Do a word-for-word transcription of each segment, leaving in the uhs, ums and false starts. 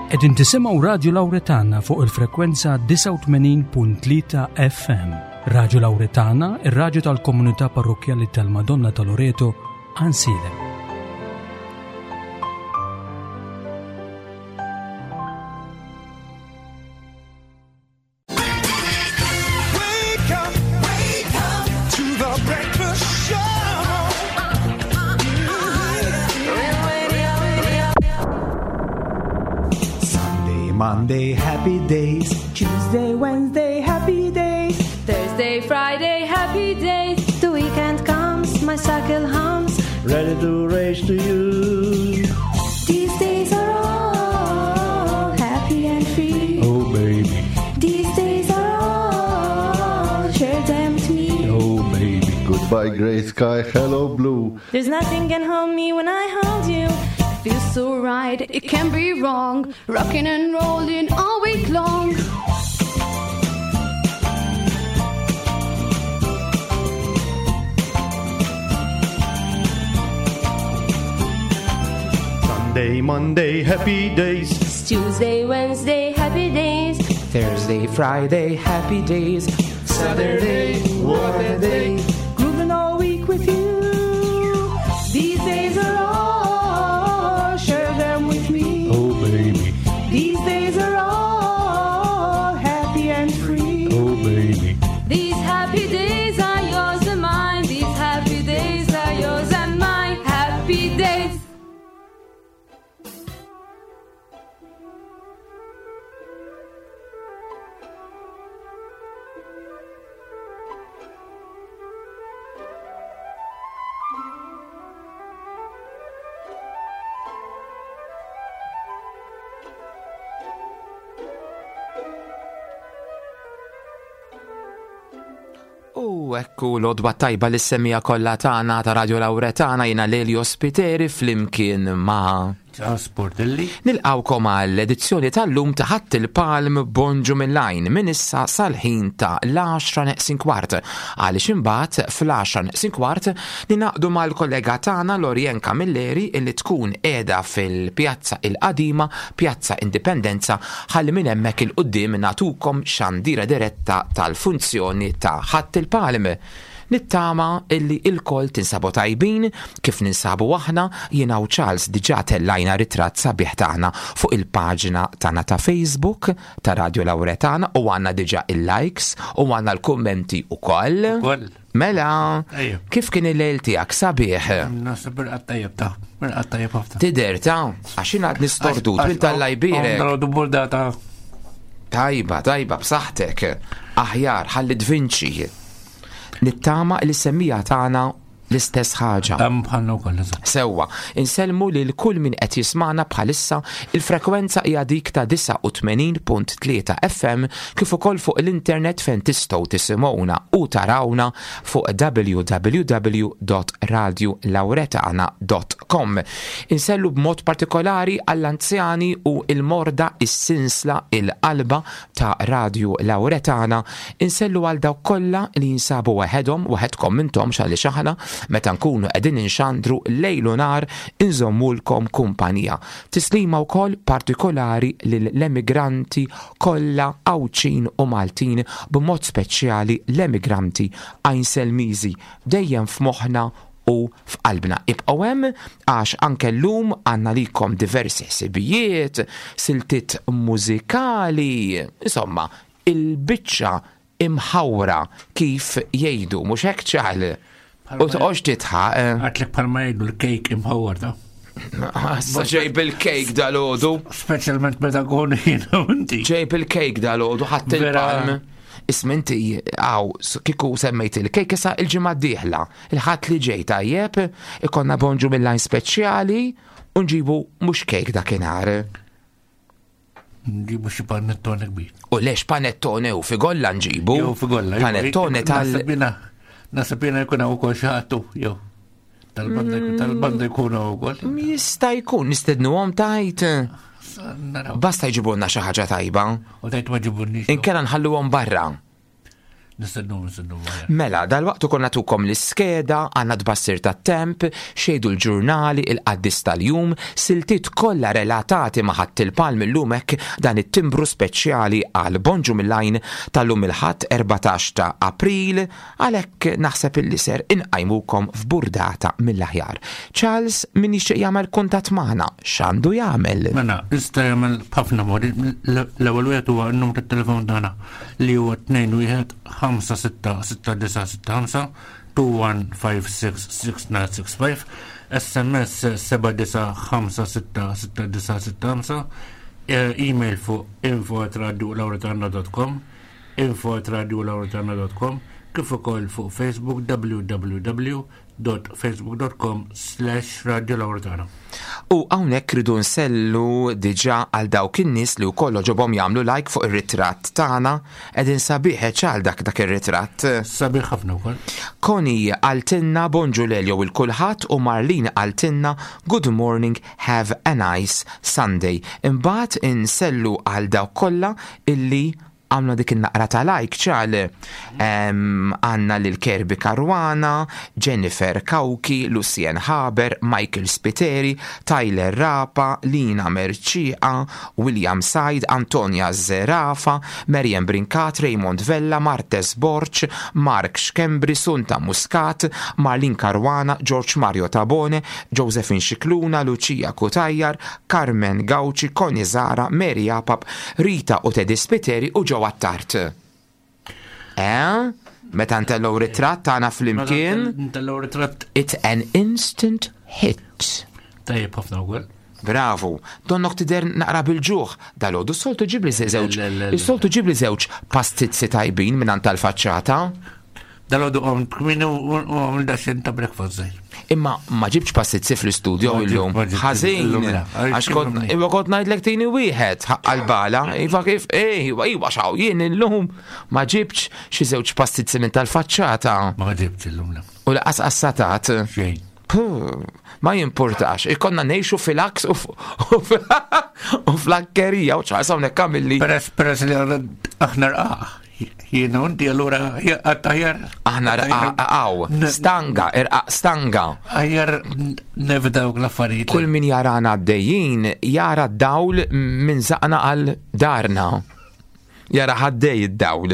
Qegħdin tisimgħu Radju Lawretana fuq il-frekwenza disgħa u tmenin punt tlieta F M. Radju Lawretana, ir-radju tal-komunità parrokkjali tal-Madonna ta' Loreto, Għajnsielem. Monday, happy days. Tuesday, Wednesday, happy days. Thursday, Friday, happy days. The weekend comes, my cycle hums. Ready to race to you. These days are all happy and free. Oh, baby. These days are all, share them to me. Oh, baby. Goodbye, grey sky, hello, blue. There's nothing can hold me when I hold you. Feels so right, it can't be wrong. Rocking and rolling all week long. Sunday, Monday, happy days. It's Tuesday, Wednesday, happy days. Thursday, Friday, happy days. Saturday, what a day. Grooving all week with you. These days are all, share them with me. Oh, baby. These days are all happy and free. Oh, baby. These happy days are yours and mine. These happy days are yours and mine. Happy days. U ekku l-odwa tajba li semmija kollha tagħna ta' Radio Lawretana, jiena Lelio Spiteri flimkien ma' Charles Portelli. Nilqawkom għall-edizzjoni tal-lum ta' Ħadd il-Palm Bonġu mill-Għajn minn issa sal-ħin ta' l-għaxra neqsin kwart. Għaliex imbagħad fl-għaxra neqsin kwart ninaqdu mal-kollega tagħna Lorien Camilleri illi tkun qiegħda fil-Pjazza il-Qadima, Pjazza Indipendenza, ħalli minn hemmhekk il-quddiem nagħtukom xandira diretta tal-funzjoni ta' Ħadd il-Palm. Nittama illi il-koll tinsabu tajbin kif ninsabu aħna, jiena u Charles diġà tellajna ritratt sabiħ tagħna fuq il-paġna tagħna ta' Facebook ta' Radio Lawretana u għandna diġà il-likes u għandna l-kummenti ukoll. Ukoll. Mela, Ejja. kif kien il-lejl tiegħek sabiħ? Naħseb irqad tajjeb ta' irqad tajjeb ħafna. Tidher ta' għax jien għad nistordut minn tal-lajbirek. Għandra burdata. Tajba, tajba, b'saħħtek. Aħjar, ħalli tvinċi. Nittama li semmija tagħna l-istess ħaġa. Hemm bħalna wkoll, eżatt. Sewwa, insellmu lil kull min qed jismana bħalissa, il-frekwenza hija dik ta' disgħa u tmenin punt tlieta F M kif ukoll fuq l-internet fejn tistgħu tisimgħuna u tarawna fuq w w w dot radio lawretana dot com. Insellu b'mod partikolari għall-anzjani u il-morda, is-sinsla, il-qalba ta' Radio Lawretana. Insellu għal dawk kollha li jinsabu waħedhom, waħedkom intom x'għaliex aħna meta nkunu qegħdin inxandru lejl u nar inżommulkom kumpanija. Tislima wkoll partikolari lill-emigranti kollha Għawdxin u Maltin, b'mod speċjali l-emigranti Għajnselmiżi, dejjem f'moħħna u f'qalbna. Ibqgħu hemm għax anke llum għandna likom diversi ħsibijiet, siltiet mużikali, insomma, il-biċċa imħawra kif jgħidu, mhux hekk ċal? Bħalma U toqgħodx titħaq, eh. Għatlek bħalma jgħidu l-kejk imħawar ta'. Issa ġejb il-kejk dal-għodu. Speċjalment meta nkun jiena u inti. Ġejb il-kejk dal-għodu, ħadd Vera. il-palm. Isma' inti, għaw, s-, kieku semmejt il-kejk issa il-ġimgħa d-dieħla. Il-ħadd li ġej tajjeb, ikonna bonġu mill-lajn speċjali u nġibu mhux kejk dakinhar. Nġibu xi panettone kbir. U lex panettone u figolla nġibu. Jew figolla, jew Panettone tal- Naħseb jiena, naħseb jiena jkun hawn ukoll xi ħadd u, jew. Tal-banda jkun, tal-banda jkun hawn ukoll. Jista' jkun, nistednuhom tajt. Naraw. Basta jġibulna xi ħaġa tajba. U tajt ma ġibulniex. Inkella nħalluhom barra. Nistennu, nistennu. Mela, dal-waqt ukoll nagħtukom l-iskeda, għandna tbassir tat-temp, xejdu l-ġurnali, il-qaddis tal-jum, siltiet kollha relatati ma' Ħadd il-Palm illum hekk dan it-timbru speċjali għal Bonġu mill-Għajn tal-lum il-Ħadd erbatax ta' April, għalhekk naħseb illi ser inqajmukom f'burdata mill-aħjar. Charles, min jixtieq jagħmel kuntatt magħna, x'għandu jagħmel? Mela, jista' jagħmel b'ħafna modi. L-ewwel wieħed huwa n-numru tat-telefon tagħna li huwa tnejn wieħed ħamsa sitta sitta disa' sitta ħamsa, two one five six six nine six five, S M S seba' disa' ħamsa sitta sitta disa' sitta ħamsa, email fuq info at radio lauretana dot com, info at radio lauretana dot com, kif ukoll fuq Facebook w w w dot facebook dot com slash radio lauretana. U hawnhekk ridu nsellu diġà għal dawk in-nies li wkoll ġobhom jagħmlu like fuq ir-ritratt tagħna, qegħdin sabiħ ċal dak dak ir-ritratt. Sabiħ ħafna wkoll. Koni għaltinna bonġu Lelio il kulħadd u Marlene għaltinna good morning, have a nice Sunday. Imbagħad insellu għal dawk kollha illi għamlu dik in-naqra ta' like ċal. Em, għanna lil Kirby Caruana, Jennifer Kauki, Lucien Haber, Michael Spiteri, Tyler Rapa, Lina Merċiqa, William Said, Antonia Zerafa, Marian Brincat, Raymond Vella, Martes Borch, Mark Schembri, Sunta Muscat, Marlene Caruana, George Mario Tabone, Josephine Scicluna, Lucia Cutajar, Carmen Gauci, Connie Zara, Mary Apap, Rita u Teddy Spiteri u Joe Attard. Eh? Meta ntellgħu ritratt tagħna flimkien, Meta ntellgħu ritratt. It's an instant hit. Tajjeb ħafna wkoll. Bravo. Donnok tidher naqra bil-ġuħ. Dalgħodu s-soltu ġibli żewġ. Le, le, le, le. Is-soltu ġibli żewġ pastizzi tajbin minn tal-faċċata. Dalgħodu qom kmini u għamil daxxen ta' breakfast żgħir. Imma ma ġibx pastizzi fl-istudio Ma ġib- illum. ma ġibx Ħażin. illum, le. Għax kont Illum, le. imma kont ngħidlek tini wieħed ħaqqa l-bala. Iva kif, eh, iva, iva, xaw, jien illum ma ġibx xi żewġ pastizzi minn tal-faċċata. Ma ġibx illum, le. U laqas qassatat. Xejn. Puh, ma jimpurtax, ikonna nejxu fil-aks u f-, u f-, u fl-akkerija u ċaqsa hawnhekk għamilli. Peress, peress li għandna aħna rqaq. Jiena u inti allura għattajar. Aħna rqaq, għaw, stanga, irqaq stanga. Aħjar nevitaw l-affarijiet. Kull min jarana għaddejjin jara d-dawl minn zaqna għal darna. Jara ħaddej id-dawl.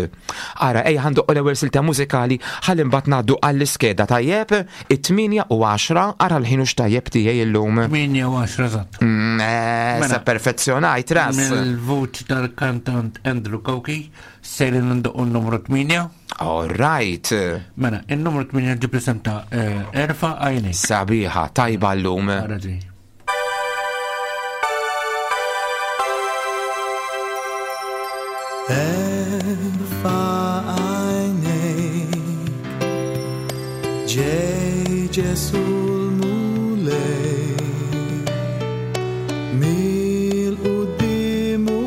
Ara, ej, ħandu l-ewwel silta mużikali, ħalli mbagħad ngħaddu għall-iskeda tajjeb, it-tminja u għaxra, ara l-ħin hux tajjeb tiegħi illum. Tminja u għaxra, eżatt. Mm, eh, Mela. Sa perfezzjonajt ras. Mill-vuċi tal-kantant Andrew Cauchi, sejrin ndoqqu n-numru tminja. All right. Mela, il-numru tminja ġib l-isem ta', eh, Erfa Għajnek. Sabiħa, tajba llum. Ara ġej. Erfa għajnejk, ġej Ġesu l-Mulej, mill-qudiem u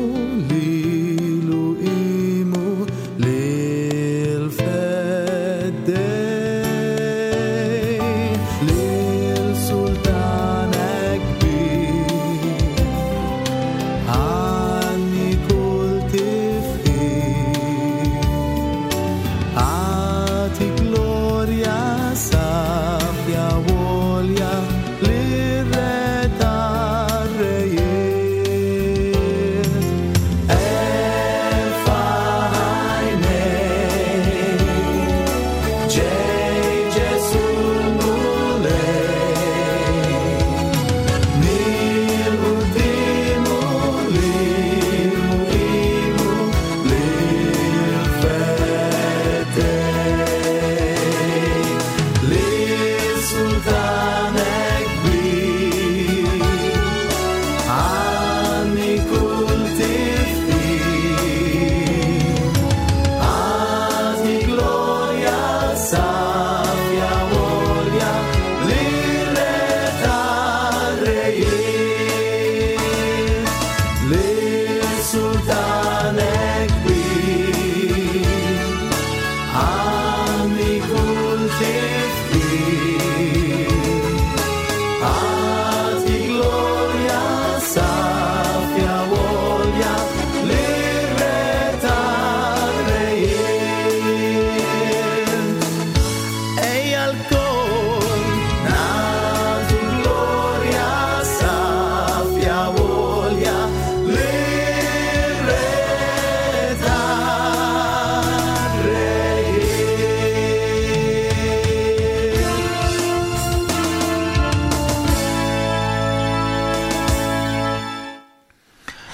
lilu imu lil-feddej, lil-sultan kbir, għanni kull tifħir.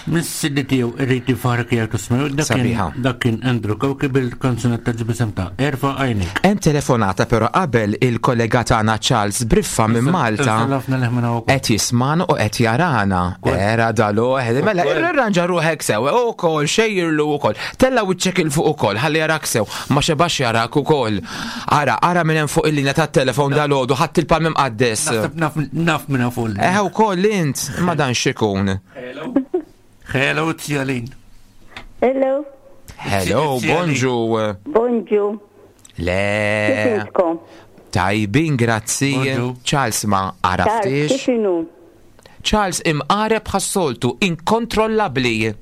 Mis-C D tiegħu Irrid Ifarek jgħid ismu, dak kien Sabiħa. Dak kien Andrew Cauchi bil-kanzunetta b'isem ta' Erfa' Għajnejk. Hemm telefonata, però qabel, il-kollega tagħna Charles Briffa minn Malta Ħafna leħmena wkoll. qed jismana u qed jarana. Era dalo, mela irranġa ruħek sew, ukoll xejjirlu ukoll. Tella wiċċek 'il fuq ukoll, ħalli jarak sew, ma xebax jarak ukoll. Ara, ara minn hemm fuq il-linja tat-telefon dalodu, ħadd il-palm imqaddes. Naħseb naf naf minn fuq. Eh, ukoll int, ma dan xikun. Hello. Hello, Tjalin. Hello. Hello, bonġu. Bonġu. Le. Kif intkom? Tajbin, grazzi. Charles, ma Charles, għaraftix. kif inhu? Charles imqareb bħas-soltu, inkontrollabbli.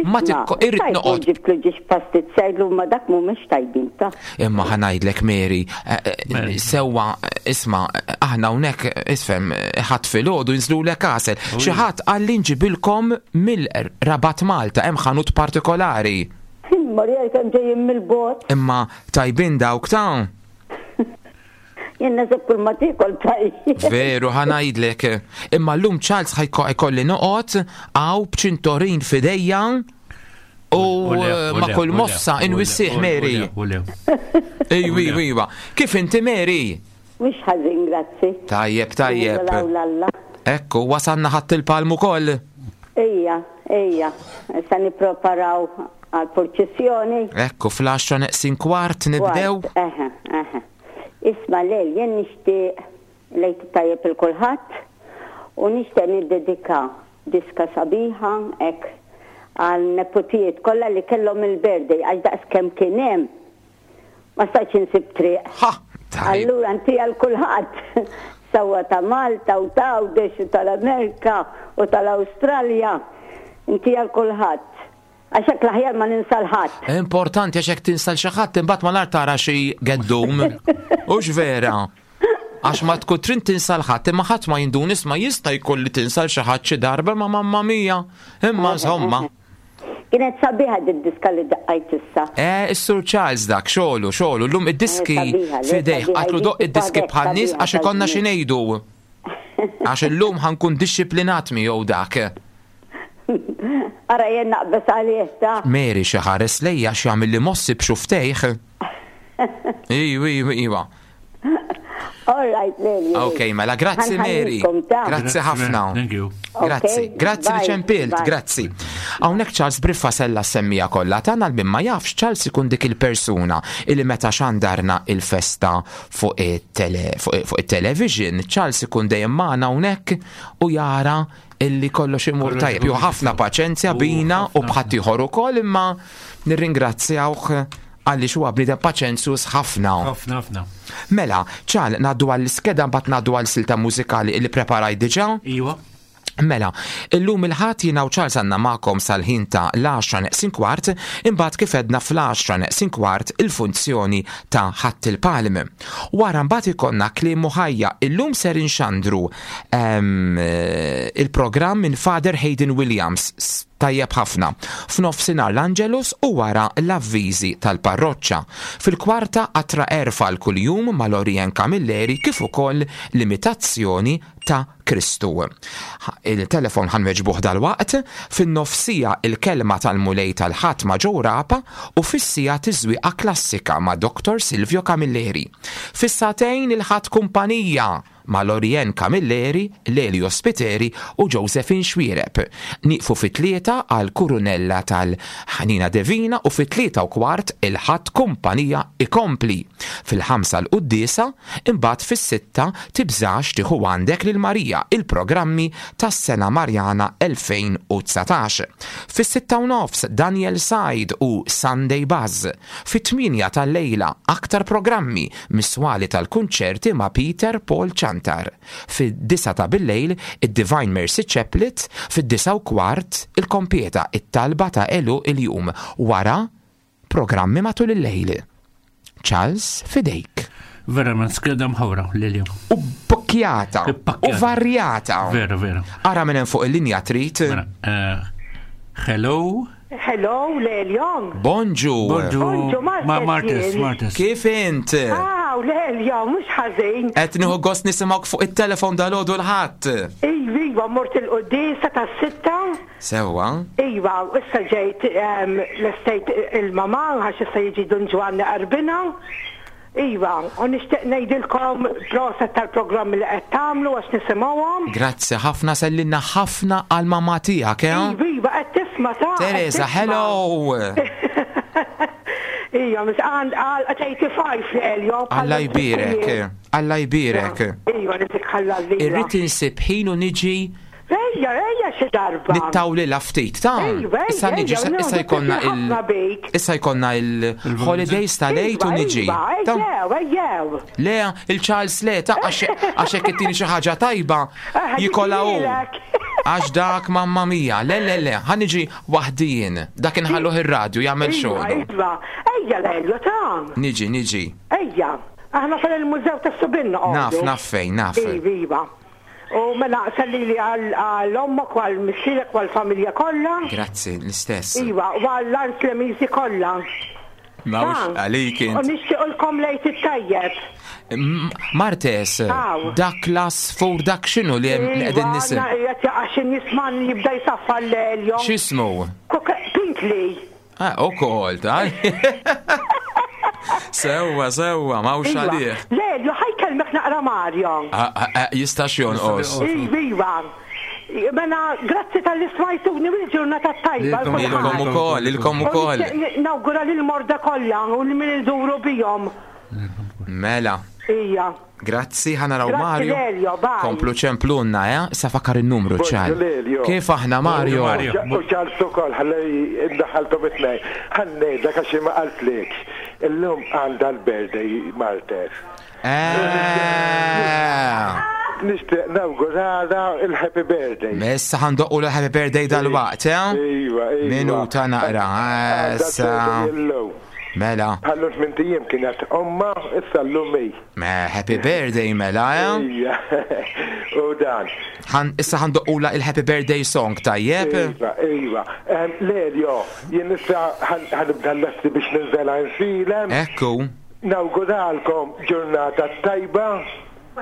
Ma tikko, irrid noqgħod. Ġibtlu ġiex pastizzajlu, ma dak mhumiex tajbin ta'. Imma ħa ngħidlek, Mary, eh, eh, sewwa, eh, isma', eh, aħna hawnhekk, isfem, ħadd filgħodu jinżlulek għasel. Xi ħadd qalli nġibilkom mill-Rabat Malta, hemm ħanut partikolari. Marija, kemm ġejjin mill-bogħod. Imma tajbin dawk ta' Jien naħseb kull ma tiekol tajjeb. Veru, ħa ngħidlek. Imma llum Charles ħa jkolli noqgħod hawn b'ċintorin f'idejja u ma kull mossa inwissih, Mary. Ejwi, iwa. Kif inti, Mary? Mhux ħażin, grazzi. Tajjeb, tajjeb. Lalla. Ekku, wasanna Ħadd il-Palm ukoll. Ejja, ejja. Issa nippreparaw għal-purċissjoni. Ekku, fl-għaxra neqsin kwart nibdew. Kwart, Eħe, eħe. Isma', lej, jien nixtieq lejt tajjeb 'il kulħadd u nixtieq niddedika diska sabiħa hekk għal neputijiet kollha li kellhom il-birthday, għax daqs kemm kien hemm ma stajtx insib triq. Allura inti għal kulħadd, sewwa ta' Malta u ta' Għawdex u tal-Amerika u tal-Awstralja. Inti għal kulħadd. Għax hekk l-aħjar ma ninsa 'l ħadd. Importanti, għax hekk tinsa 'l xi ħadd imbagħad ma nar tara xi geddum. Hux vera? Għax ma tkun trid tinsa 'l ħadd, imma ħadd ma jindun, isma', jista' jkun li tinsa 'l xi ħadd xi darba, ma mamma mia. Imma insomma. Kienet sabiħa d-diska li daqqajt issa. Eh, is-Sur Charles dak, xogħlu, xogħlu, llum id-diski Eh, sabiħa, le, fidejh, sabiħa, għatlu doq id-diski sabiħa, bħal-nies għax ikollna xi sabiħa. ngħidu. Għax illum ħa nkun dixxiplinat miegħu dak. Ara jien naqbes għalih ta'. Mary, xi ħares lejja, x'jagħmel li mossi b'xuftejh. Iwa, iwa, iwa. All right, Leli. Ok, mela grazzi, Mary. Grazzi ħafna. Thank you. Grazzi, Ok, grazzi li bye, ċempilt, bye. grazzi. Hawnhekk Charles Briffa sella semmija kollha tagħna. Għal min ma jafx, Charles ikun dik il-persuna illi meta xandarna il-festa fuq it-tele fuq fuq it-television, Charles ikun dejjem magħna hawnhekk u jara illi kollox imur Kollox tajjeb. imur Ju ħafna paċenzja bina u b'ħadd ieħor ukoll, imma nirringrazzjawh għaliex huwa bniedem paċenzjuż ħafna. Ħafna, ħafna. Mela, ċal, ngħaddu għall-iskeda, mbagħad ngħaddu għal silta mużikali li preparaj diġà? Iwa. Mela, illum il-Ħadd jiena u Charles għandna magħkom sal-ħin ta' l-għaxra neqsin kwart, imbagħad kif għedna fl-għaxra neqsin kwart il-funzjoni ta' Ħadd il-Palm. Wara mbagħad ikollna Kliem u Ħajja. Illum ser inxandru em, eh, il-programm minn Father Hayden Williams, tajjeb ħafna. F'nofsinhar l-Angelus u wara l-avviżi tal-parroċċa. Fil-kwarta Qatra Għerf għal kuljum ma' Lorien Camilleri, kif ukoll l-imitazzjoni ta' Kristu. Il-telefon ħa nweġbuh dal-waqt, fin-nofsija il-kelma tal-Mulej tal-Ħadd ma' Joe Rapa u fis-siegħa tiżwiqa klassika ma' Doktor Silvio Camilleri. Fis-sagħtejn il-Ħadd Kumpanija ma' Lorien Camilleri, Lelio Spiteri u Josephine Xuereb. Nieqfu fit-tlieta għal Kurunella tal-Ħanina Devina u fit-tlieta u kwart il-Ħadd Kumpanija ikompli. Fil-ħamsa l-Quddiesa, imbagħad fis-sitta Tibżax tieħu għandek lil Marija, il-programmi tas-sena Marjana elfejn u dsatax. Fis-sitta u nofs Daniel Said u Sunday Buzz. Fit-tmienja tal-lejla aktar programmi miswali tal-kunċerti ma' Peter Paul Ciantar. Fid-disgħa ta' bil-lejl id-Divine Mercy Chaplet, fid-disgħa u kwart il-kompieta, it-talba ta' għeluq il-jum. Wara programmi matul il-lejl. Charles, fidejk. Verament skeda mħawra, Lilio. U bukjata. U varjata. Vera, vera. Ara minn hemm fuq il-linja trid. Mela, eh, hello. Hello, Lelion. Bonġu. Bonġu. Bonġu, Martes Ma Martes, jien. Martes. Kif int? Ah, Aw, Lelja, mhux ħażin. Qed nieħu gost nisimgħuk fuq it-telefon dal-għodu l-ħadd. Iva, iva, mort il-quddiesa tas-sitta. Sewwa. Iva, issa ġejt l-estate il-mama, għax issa jiġi Dun Ġwanni Qarbina. Iva, u nixtieq ngħidilkom proset tal-programm li qed tagħmlu għax nisimgħuhom. Grazzi ħafna, sellinna ħafna għal mamma tiegħek, eh? Iva, iva, qed tisma' ta' Teresa, hello. Iva, mis għand għal eighty-five Lelio. Alla jbierek, Alla jbierek. Iva, nisik ħalla l Irrid insib ħin u niġi. Ejja, ejja xi darba. Nittawlilha ftit, ta' issa niġi, issa jkollna il issa jkollna il-holidays tal-Għid u niġi. Ejjew, ejjew. Le, il-Charles le, ta' għax hekk ittini xi ħaġa tajba jikolla hu. Għax dak mamma mia, le le le, ħa niġi waħdi jien. Dak inħalluh ir-radju jagħmel xogħlu. Iva, ejja Lelio ta'. Niġi, niġi. Ejja, aħna fil-mużew tas-Subin noqogħdu. Naf, naf fejn, naf. Iva, iva. U mela sellili għal-ommok u għal-missierek u għal-familja kollha. Grazzi, l-istess. Iva, u għall-Ars Lemisi kollha. Mawx għalik int. U nixtiequlkom lejt it-tajjeb. Martes, dak l-asfur, dak x'inhu li qegħdin nisim? Iva, qed jaqa' xi nisman jibda jsaffa l-Elio. X'ismu? Pinkli. Ah, ukoll, ta' Sewwa, sewwa, mawx għalih. Lelio, ħajkellmek naqra Mario. Jistax jonqos. Iva, iva. Mela, grazzi tal-li smajtuni u l-ġurnata tajba. Ilkom ukoll, ilkom ukoll. Nawgura lil morda kollha u li min iduru bihom. Mela. Ija. Grazzi, ħanaraw Mario. Lelio, bye. Komplu ċemplunna, eh? Issa fakkar il-numru, ċal. Kif aħna, Mario? U ċal ukoll, ħalli ndaħħaltom it-tnejn. Ħannejdlek għax ma qaltlekx. Illum għandha l-birthday Martes. Nixtieq nawgurala il-happy birthday. Issa ħandoqqu l-happy birthday dal-waqt, eh? Iva, iva. Minuta naqra, issa. Mela. Għallu tmint ijiem kienet omma, issa llum hi. Me, happy birthday, mela, eh? Ija, u dan. Issa ħandoqqula il-happy birthday song, tajjeb? Iva, iva. Lelio, jien issa ħanibda l-lesti biex ninżel għajnsilem. Ekku. Nawguralkom ġurnata tajba. U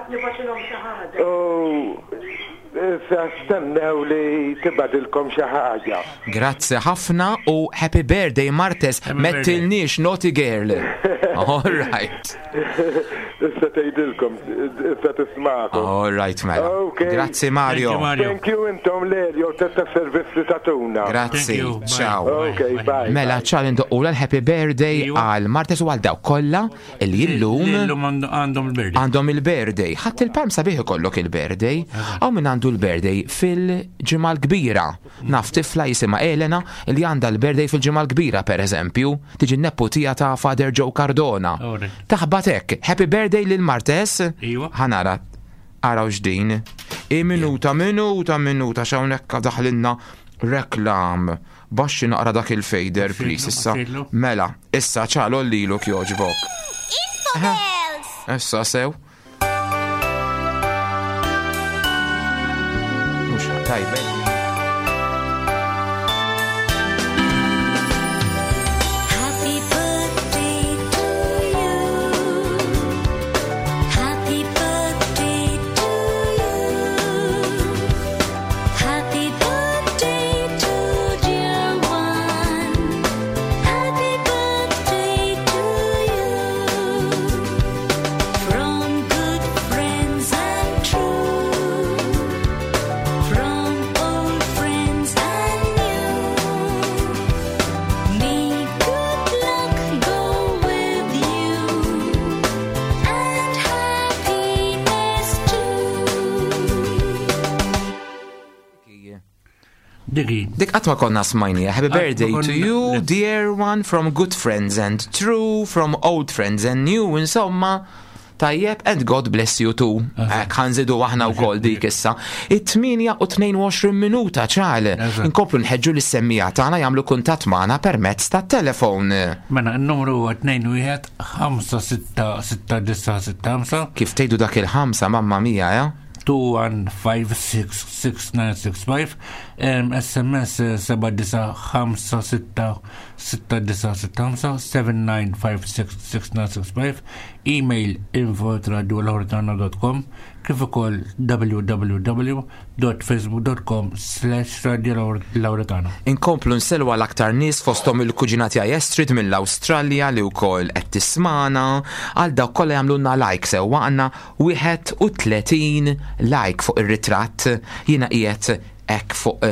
issa stennew li tibadilkom xi ħaġa. Grazzi ħafna u happy birthday Martes, mettilniex naughty girl. All right. Issa tgħidilkom, issa tismakom. All right, mela. Grazzi Mario. Thank you intom Lelio ta' servizz li tatuna. Grazzi. Ciao. Okay, bye. Mela ċal indoqqula l-happy birthday għal Martes u għal dawk kollha li illum illum għandhom il-birthday. Għandhom il-birthday. Ħadd il-palm sabiħ ikollok il-birthday. Hawn min għandu l-birthday fil-ġimgħa l-kbira. Naf tifla jisimha Elena li għandha l-birthday fil-ġimgħa l-kbira pereżempju, tiġi n-neputija ta' Father Joe Cardona. Taħbat hekk, happy birthday lil Martes. Ħanara, araw x'din. I minuta, minuta, minuta, x'hawnhekk daħlinna reklam. Baxxi naqra dak il-fader, please, issa. Mela, issa ċalo liluk jogħġbok. Issa sew. Mhux tajba. Happy birthday to you. Happy birthday to you. Happy birthday to dear one. Happy birthday to you. From good friends and true. From old friends and new. May good luck go with you and happiness too. Diki. Dik qatt ma konna smajnija. Happy Qatt ma birthday to konna- you, dear one, from good friends and true, from old friends and new, insomma. Tajjeb, and God bless you too. Hekk ħanżidu aħna wkoll dik issa. It-tmienja u tnejn u għoxrin minuta ċal. Inkomplu nħeġġu lis-semmija tagħna jagħmlu kuntatt magħna permezz tat-telefon. Mela, n-numru huwa tnejn wieħed ħamsa sitta sitta disa sitta ħamsa. Kif tgħidu dak il-ħamsa, mamma mia, eh? two one five six six nine six five, um, S M S seba' disa ħamsa sitta sitta disa sitta ħamsa, seven nine five six six nine six five, Email info at radiolauretana dot com kif ukoll www dot facebook dot com slash radiolauretana. Inkomplu nsellu għal aktar nies, fosthom il-kuġina tiegħi Estrid mill-Awstralja li wkoll qed tismana, għal dawk kollha jagħmlulna like. Sewwa, għandna wieħed u tletin like fuq ir-ritratt. Jiena qiegħed hekk fuq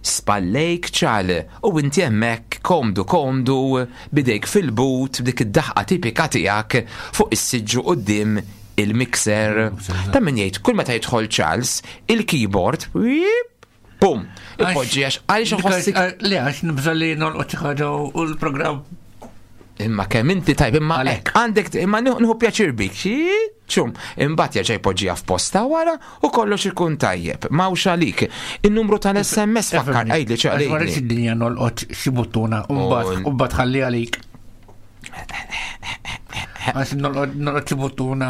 spallejk, ċal, u inti hemmhekk komdu komdu bidejk fil-but, b'dik id-daħqa tipika tiegħek fuq is-siġġu quddiem il-mixer. Ta' min jgħid, kull meta jidħol Charles, il-keyboard, wip, pum, ipoġġi, għax għaliex nħossik. Le, għax nibża' li nolqot xi ħaġa u l-programm. Imma kemm inti tajb, imma hekk għandek, imma nieħu pjaċir bik, xi ċum, imbagħad jerġa' jpoġġiha f'posta wara u kollox ikun tajjeb. M'hawnx għalik. In-numru tal-S M S fakkar, għidli Għax ma ċaqli. rridx id-dinja nolqot xi buttuna u mbagħad u mbagħad ħalli għalik. Għax nolqot nolqot xi buttuna.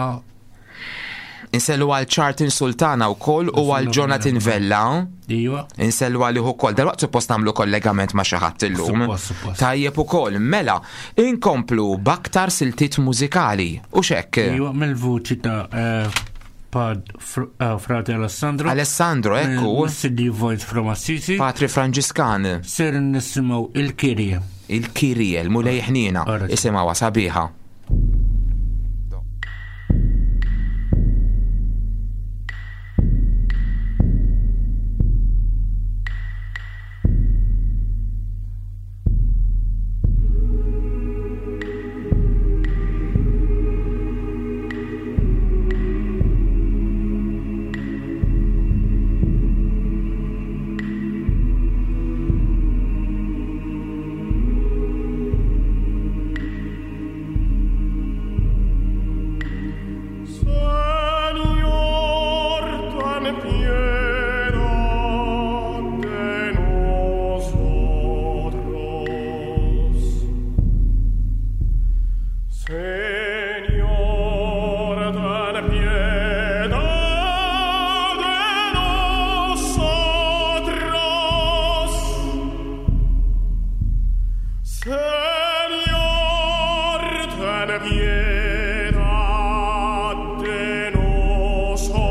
Insellu għal Charlton Sultana u koll u għal Jonathan Vella. Iva. Insellu għal ukoll. Dalwaqt suppost nagħmlu kollegament ma' xi ħadd illum. Suppost, suppost. Tajjeb ukoll. Mela, inkomplu b'aktar siltiet mużikali. U xek? Iva, mill-vuċi ta' eh, Pad Fr- eh, Frate Alessandro. Alessandro, ekku. C D Voice from Assisi. Patri Franġiskan. Ser nisimgħu il-Kirje. Il-Kirje, l-Mulej ħniena. Isimgħuha sabiħa. Señor, ten piedad de nosotros. Señor, ten piedad de nosotros. Señor, ten piedad de nosotros.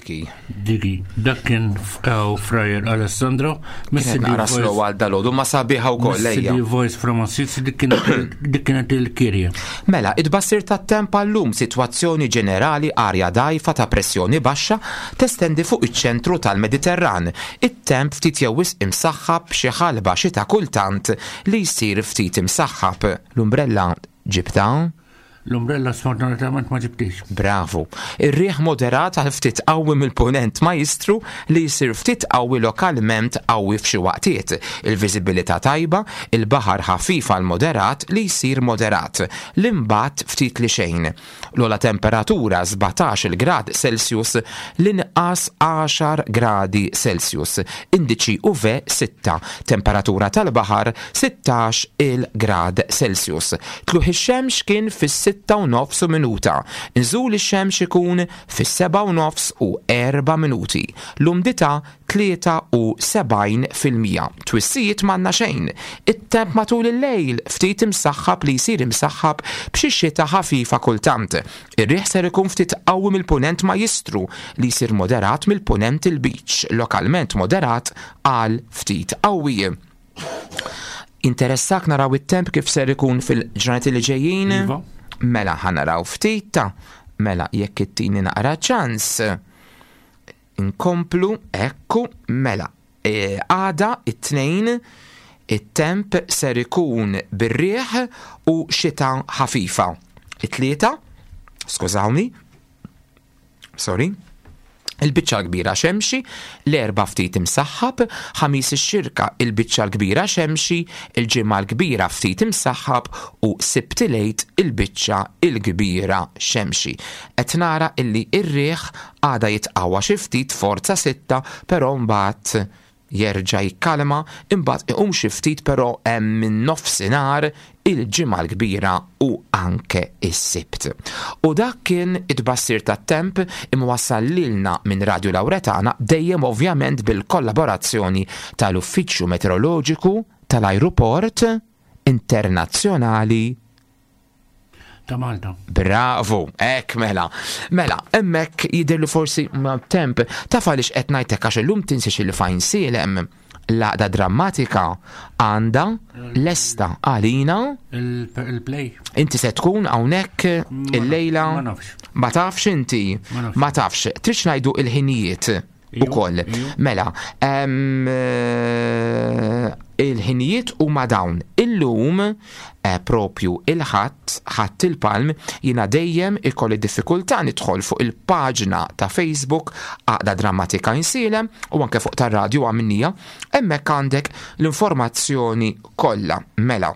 Diki. Diki, dak kien f'Kaw Frajer Alessandro. Kienet naqra slow għal dalodu ma sabiħa wkoll ejja. Missidi Voice from Assisi, dik kienet dik kienet il-kirja. Mela, id-bassir tat-temp għallum sitwazzjoni ġenerali arja dajfa ta' pressjoni baxxa testendi fuq iċ-ċentru tal-Mediterran. It-temp ftit jew wisq imsaħħab xi ħalba xita kultant li jsir ftit imsaħħab. L-umbrella ġibta? L-umbrella sfortunatament ma ġibtix. Bravo. Ir-riħ moderat għal ftit qawwi mill-punent majstru li jsir ftit qawwi lokalment qawwi f'xi waqtiet. Il-viżibilità tajba, il-baħar ħafif għal moderat li jsir moderat. L-imbat ftit li xejn. L-ogħla temperatura sbatax il grad Celsius, l-inqas għaxar gradi Celsius. Indiċi U V sitta. Temperatura tal-baħar sittax il grad Celsius. Tluħ ix-xemx kien fis-sitta u nofs u minuta. Nżul ix-xemx ikun fis-seba' u nofs u erba' minuti. L-umdità tlieta u sebgħin fil-mija. Twissijiet m'għandna xejn. It-temp matul il-lejl ftit imsaħħab li jsir imsaħħab b'xi xita ħafifa kultant. Ir-riħ ser ikun ftit qawwi mill-punent majstru li jsir moderat mill-punent il-beach, lokalment moderat għal ftit qawwi. Interessak naraw it-temp kif ser ikun fil-ġranet li ġejjin? Iva. Mela ħanaraw ftit ta' mela jekk ittini naqra ċans. Inkomplu, ekku, mela. E, għada it-tnejn it-temp ser ikun bir-riħ u xita ħafifa. It-tlieta, skużawni, sorry, il-biċċa l-kbira xemxi, l-erba' ftit imsaħħab, ħamis ix-xirka il-biċċa l-kbira xemxi, il-ġimgħa l-kbira ftit imsaħħab u Sibt il-Għid il-biċċa l-kbira xemxi. Qed nara illi r-riħ għada jitqawwa xi ftit forza sitta, però mbagħad jerġa' jikkalma, imbagħad iqum xi ftit però hemm minn nofsinhar il-ġimgħa l-kbira u anke is-Sibt. U dak kien it-tbassir tat-temp imwassal lilna minn Radio Lauretana, dejjem ovvjament bil-kollaborazzjoni tal-Uffiċċju Meteoroloġiku tal-Ajruport Internazzjonali ta' Malta. Bravo, ek mela. Mela, emmek jidher li forsi ma' temp, taf għaliex qed ngħidlek għax illum tinsiex il fajn sielem l-għaqda drammatika għandha lesta għalina. Il-, il-play. Inti se tkun hawnhekk Ma illejla? Ma nafx. Ma tafx inti? Ma nafx. Ma tafx. Tridx ngħidu il-ħinijiet Iju, ukoll. iju. Mela, em, eh, il-ħinijiet huma dawn. Illum, eh, propju il-Ħadd, Ħadd il-Palm, jiena dejjem ikolli diffikultà nidħol fuq il-paġna ta' Facebook Għaqda Drammatika Għajnsielem u anke fuq tar-radju għamnija, hemmhekk għandek l-informazzjoni kollha. Mela,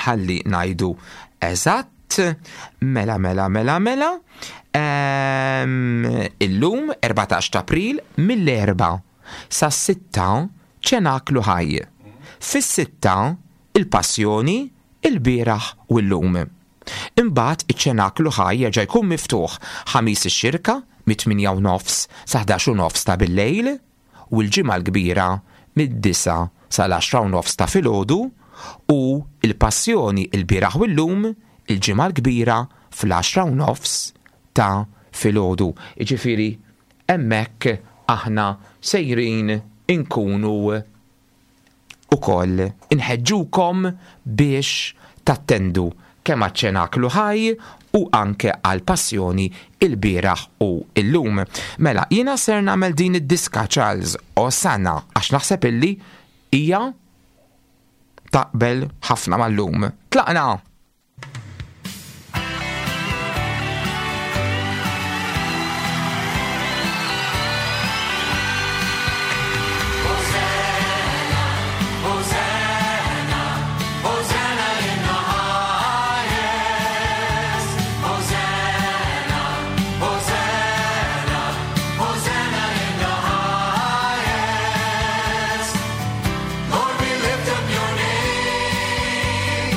ħalli ngħidu eżatt, mela, mela, mela, mela. Ehm, illum erbatax ta' April mill-erba' sa' sitta ċenaklu ħaj. Fis-sitta il-passjoni, il-bieraħ u l-lum. Imbagħad iċ-ċenaklu ħaj jerġa' jkun miftuħ ħamis ix-xirka mit-tmienja u nofs sa ħdax u nofs ta' bil-lejl u l-ġimgħa l-kbira mid-disa sal-għaxra u nofs ta' filgħodu u il-passjoni il-bieraħ u l-lum il-ġimgħa l-kbira fl-għaxra u nofs ta' filgħodu. Jiġifieri hemmhekk aħna sejrin inkunu ukoll inħeġġukom biex tattendu kemm għaċ-ċenaklu ħaj u anke għal-passjoni il-bieraħ u illum. Mela, jiena ser nagħmel din id-diska Charles Osanna għax naħseb illi hija taqbel ħafna mal-lum. Tlaqna! Lord, we lift up your name.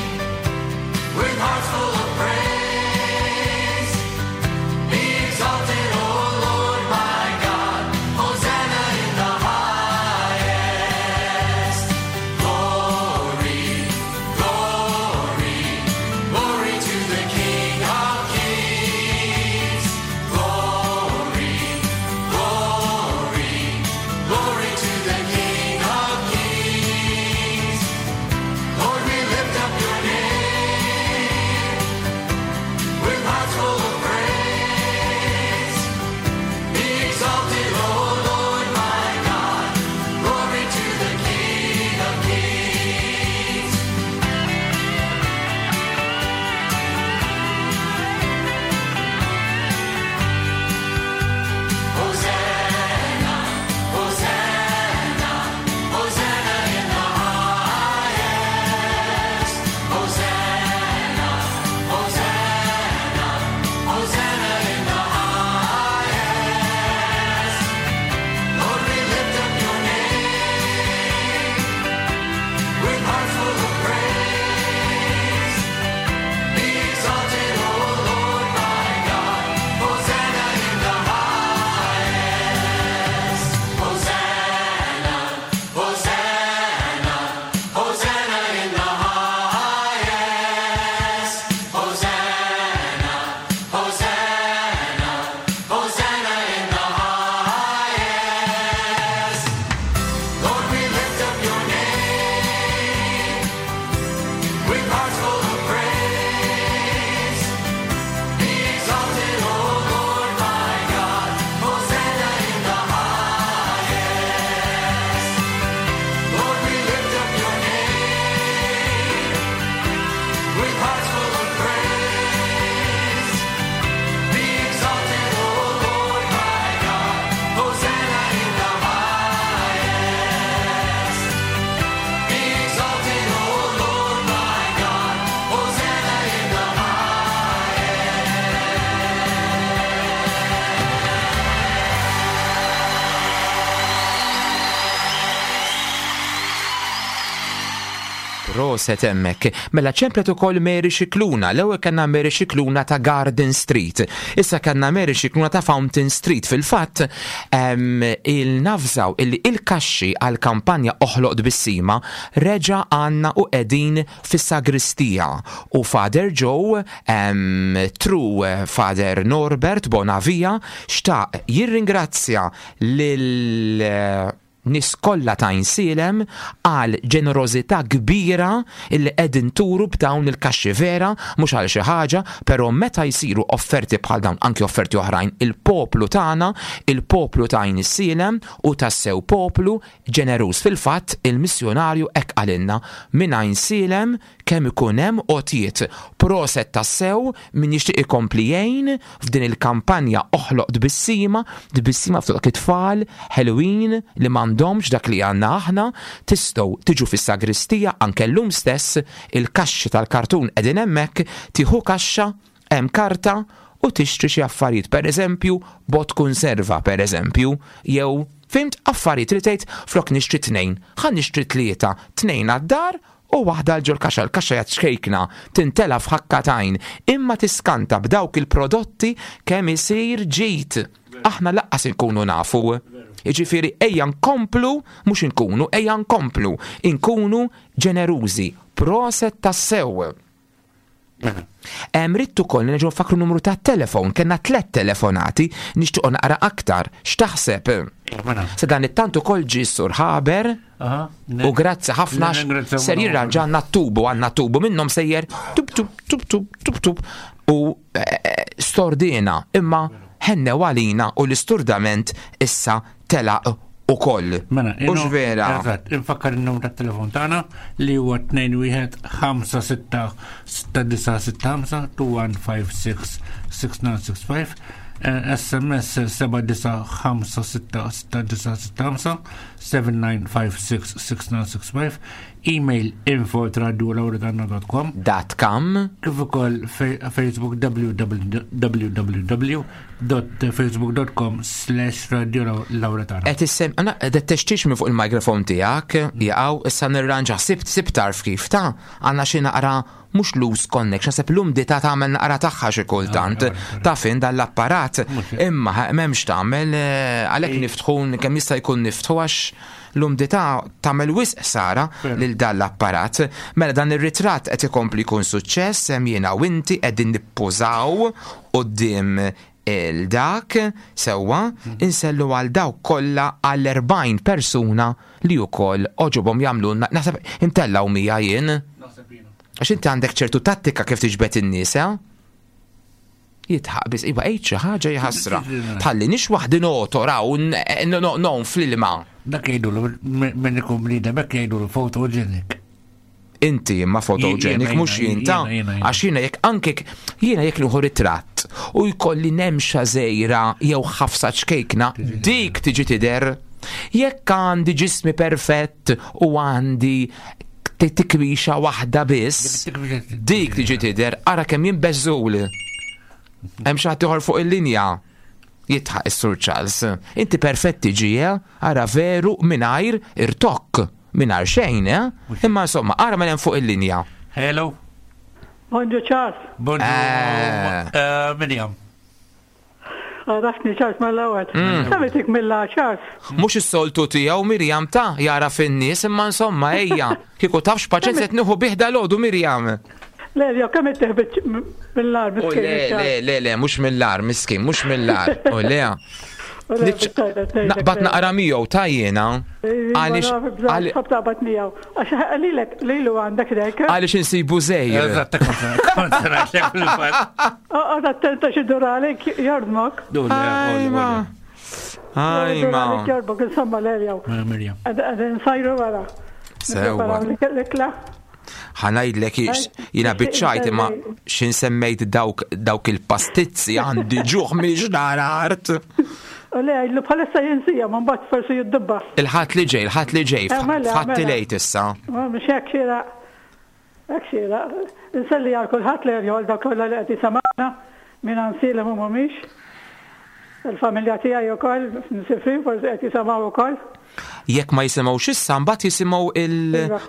Proset hemmhekk. Mela ċemplet ukoll Mary Scicluna. L-ewwel kellna Mary Scicluna ta' Garden Street. Issa kellna Mary Scicluna ta' Fountain Street. Fil-fatt il-nafżaw illi il-kaxxi għal-kampanja Oħloq Tbissima reġa' għandna u qegħdin fis-sagristija. U Father Joe, through Father Norbert Bonavia, xtaq jirringrazzja lil nies kollha ta' Għajnsielem għal ġenerożità kbira illi qegħdin turu b'dawn il-kaxxi. Vera, mhux għal xi ħaġa, però meta jsiru offerti bħal dawn, anki offerti oħrajn, il-poplu tagħna, il-poplu ta' Għajnsielem u tassew poplu ġeneruż. Fil-fatt il-missjonarju hekk qalilna minn Għajnsielem kemm ikun hemm għotjiet. Proset tassew min jixtieq ikompli jgħin f'din il-kampanja Oħloq Tbissima, tbissima f'dawk it-tfal ħelwin li m'għandhomx dak li għandna aħna, tistgħu tiġu fis-sagristija anke llum stess, il-kaxxi tal-kartun qegħdin hemmhekk, tieħu kaxxa, hemm karta u tixtri xi affarijiet, pereżempju bot konserva, pereżempju, jew fimt affarijiet li tgħid flok nixtri tnejn, ħa nixtri tlieta, tnejn għad-dar u waħda l ġol kaxxa, l-kaxxa jgħat xkejkna, tintela f'ħakka t'għajn, imma tiskanta b'dawk il-prodotti kemm isir ġid. Aħna laqqas inkunu nafu. Jiġifieri ejja nkomplu, mhux inkunu, ejja nkomplu, inkunu ġenerużi, proset tassew. Hemm ridt ukoll nerġgħu nfakru numru ta' telefon, kellna tliet telefonati, nixtiequ naqra aktar. X'taħseb? Se dan it-tant ukoll ġie Sur Ħaber u grazzi ħafna ser jirranġanna t-tubu, għandna tubu minnhom sejjer tub tub tub tub tub tub u stordina, imma ħennew għalina u l-isturdament issa telaq ukoll. Mela, Ux vera? Eżatt, infakkar il-numru tat-telefon tagħna li huwa tnejn wieħed ħamsa sitta sitta disa' sitta ħamsa, two one five six six nine six five, eh, S M S seba' disa' ħamsa sitta sitta disa' sitta ħamsa, seven nine five six six nine six five, email info at radio lauretana dot com. Dot com. Kif ukoll fe-, Facebook w w w w w dot facebook dot com slash radio lauretana. Qed issem, għana, qed textix minn fuq il-mikrofon tiegħek, jaqgħu issa nirranġa, sibt, sibt tarf kif ta' għandna xi naqra mhux loose connection, sepp l-umdità tagħmel naqra tagħha xi kultant, ta' fin dan l-apparat, imma m'hemmx tagħmel, eh, għalhekk niftħu kemm jista' jkun niftħu għax l-umdità tagħmel wisq ħsara lil dan l-apparat. Mela dan ir-ritratt qed ikompli jkun suċċess, hemm jiena u inti qegħdin nippużaw quddiem il-dak sewwa, insellu għal dawk kollha għal erbgħin persuna li wkoll oġobhom jagħmlulna, naħseb intellgħu mija jien. Għax inti għandek ċertu tattika kif tiġbed in-nies, eh? Jitħaq biss, iva, għid xi ħaġa jħassra. Tħalli nix waħdi notor hawn, eh, no, no, no, fl-ilma. Dak jgħidulu, minn ikun bniedem, hekk jgħidulu photogenic. Inti imma photogenic, Jiena, mhux jiena, jien ta' jiena, jiena. Għax jiena jekk anke jiena jekk nieħu ritratt u jkolli nemxa żejra jew ħafsa ċkejkna, dik tiġi tidher. Jekk għandi ġismi perfett u għandi t-, tikwixa waħda biss, dik tiġi tidher, ara kemm jien beżżul. Hemm xi ħadd ieħor fuq il-linja. Jitħaq is-Sur Charles. Inti perfetti ġie, ara veru mingħajr irtokk, mingħajr xejn, eh? Imma insomma, ara minn hemm fuq il-linja. Hello. Bonġu Charles. Bonġu. Eh. Eh, Miriam. Għarafni Charles mal-ewwel. Mm. Samitik mill-la Charles. Mhux is-soltu tiegħu Miriam ta' jara fin-nies, imma insomma ejja. Kieku tafx paċenza qed nieħu bih dalodu Miriam. Le, jew kemm ittieħ mill-ar U miskin, le, Charles. le, le, le, mhux mill-ar miskin, mhux mill-ar. U le. U le, Niċ- bittajba, tgħidlek Naqbad le. naqra miegħu ta' jiena. Iva, Għaliex naf, bżonn, għal- tħobb taqbad miegħu. Għax lilek, lilu għandek dek. Għaliex insibu żejr. Eżatt, kont se ngħidlek fil-fatt. Oqgħod attenta xi dur għalik jordmok. Du, le, Ajma. Dur Ajma. għalik jordmok, insomma, le, jew. Mela, Mirjam. Qegħdin nsajru wara. Sewwa. Nippreparaw l-ikla. Ħanajdlek ix, jina biċċajt imma xin semmejt dawk, dawk il-pastizzi għandi ġuħ miex nara art. U le, għidlu bħalissa jinsija, ma mbagħad forsi jiddubba. Il-ħadd li ġej, il-ħadd li ġej, Eh, mela, f'ħadd mela. lejt issa. Ma mhux hekk xieraq. Hekk xieraq. Inselli għal kulħadd li għal dak kollha li qed jisimgħuna minn Għajnsielem u mhumiex. Il-familja tiegħi wkoll nsifrin forsi qed jisimgħu wkoll. Jekk ma jisimgħux issa mbagħad jisimgħu il Iva.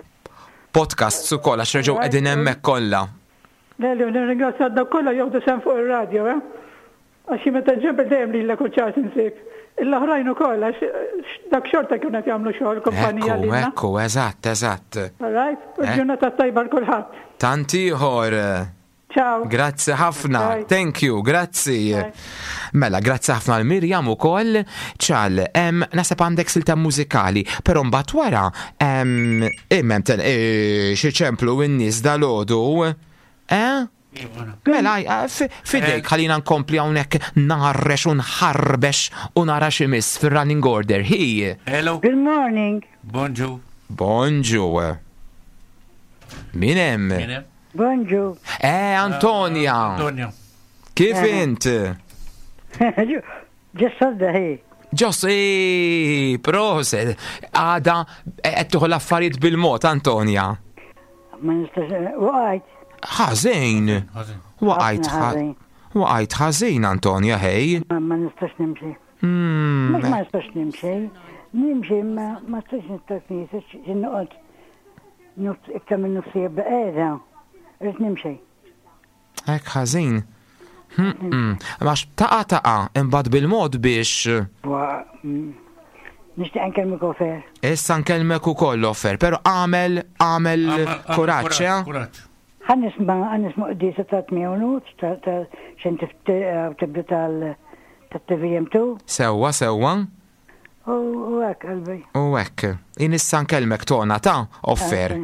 Podcasts ukoll għax reġgħu qegħdin hemmhekk kollha. Leli, nirringrazzja dawk kollha jieħdu sehem fuq ir-radio, eh? Għax meta nġebel dejjem lilek u ċars insib. L-oħrajn ukoll għax dak xorta kienu qed jagħmlu xogħol kumpanija Ekku, lilna. ekku, eżatt, eżatt. All right? U Eh. ġurnata tajba 'l kulħadd. Tant ieħor. Ciao. Grazzi ħafna, Bye. Thank you, grazzi. Mela, grazzi ħafna 'l Mirjam ukoll. Ċal, em, naħseb għandek silta mużikali, però mbagħad wara em, imem ten e, xi ċemplu n-nies dalgħodu. Eh? Mela, eh, fi- fidejk, ħalina nkompli hawnhekk narrex u nħarbex u nara x'imiss fir-running order. Hi. Hello. Good morning. Bonġu. Bonġu. Min hemm? Bonġu. Eh, Antonia. Antonia. Kif Eh. int? Ġessodda hi. Ġossi, proset, għada qed tieħu l-affarijiet bil-mod, Antonia. Ma nistax, waqajt. Ħażin. Waqajt Ħafna ħażin. Waqajt ħażin, Antonia, hej. Ma ma nistax nimxi. Hmm, Mhux ma nistax nimxi. Nimxi ma ma nistax nistax nistax noqgħod nofs iktar minn nofs qiegħda. Irrid nimxi. Hekk ħażin. Hmm, hmm. Għax taqa taqa, imbagħad bil-mod biex Wa- mm. Nixtieq nkellmek offer. issa nkellmek ukoll offer, però għamel għamel kuraġġ, eh? Ħa nisma' ħa nisma' quddiesa ta' tmien u nofs ta' ta' xejn tibda tal tat-T V M two. Sewwa, sewwa. U u hekk qalbi. U hekk, jien issa nkellmek tona ta' offer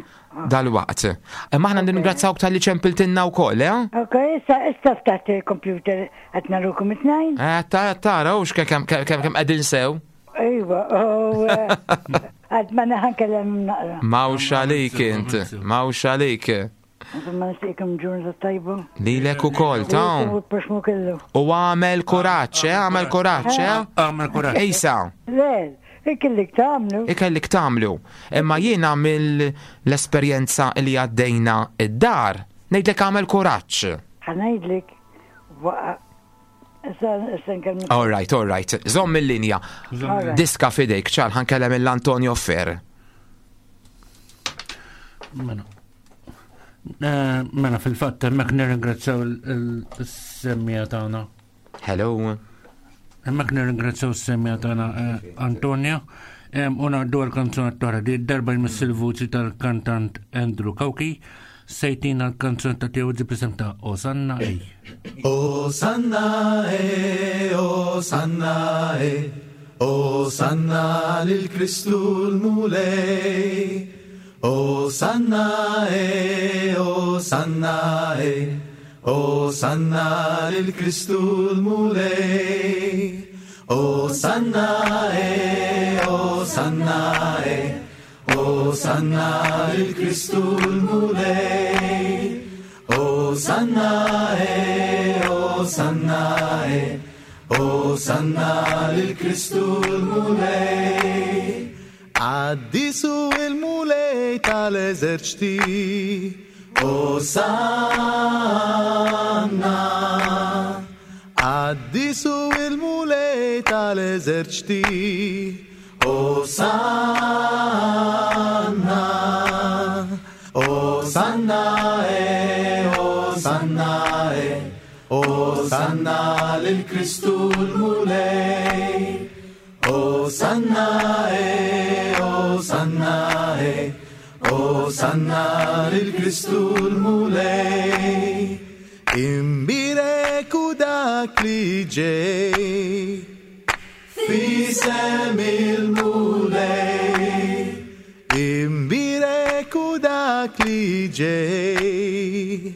dal-waqt. Imma aħna nirringrazzawk talli ċempiltilna wkoll, eh? Ok, issa issa ftaħt il-computer qed narukom it-tnejn. Eh, ta- tara, u kemm kemm kemm qegħdin sew. Iva, u għad ma naħan kellem naqra. Mawx għalik int, mawx għalik. Insomma, nixtieqkom ġurnata tajba. Lilek ukoll, ta' U proxmu kellu. U għamel kuraġġ, eh, għamel kuraġġ, eh? Għamel kuraġġ. Ejsa, Le, ikellik tagħmlu. Ikellik tagħmlu. Imma jiena mill-esperjenza li għaddejna id-dar, ngħidlek għamel kuraġġ. Ħa ngħidlek. Waqa. Issa issa nkellmek. All right, all right. Żomm il-linja. All right. Diska fidejk, ċal, ħa nkellem 'l Antonio Fer. Mela. Eh, Mela, fil-fatt, hemmhekk nirringrazzjaw il-semmiegħa tagħna. Hello. Hemmhekk nirringrazzjaw is-semmiegħa tagħna eh, Antonia. Em, U ngħaddu għal-kanzunetta oħra di darba jmiss il-vuċi tal-kantant Andrew Cauchi se jtina l-kanzunetta tiegħu ġi ta' Osanna Ej. Osanna e, Osanna e, Osanna lil Kristu l-Mulej. Osanna e, Osanna e, Osanna lil Kristu l-Mulej. Osanna e, Osanna e, Osanna lil Kristu l-Mulej. Osanna e, Osanna e, Osanna lil Kristu l-Mulej. Qaddis hu il-Mulej tal-eżerċti. Osanna. Qaddis hu il-Mulej tal-eżerċti. Osanna. Osanna e, Osanna e, Osanna lil Kristu l-Mulej. Osanna e, Osanna e, Osanna lil Kristu l-Mulej. Imbierek hu dak li ġej f'isem il-Mulej. Imbierek hu dak li ġej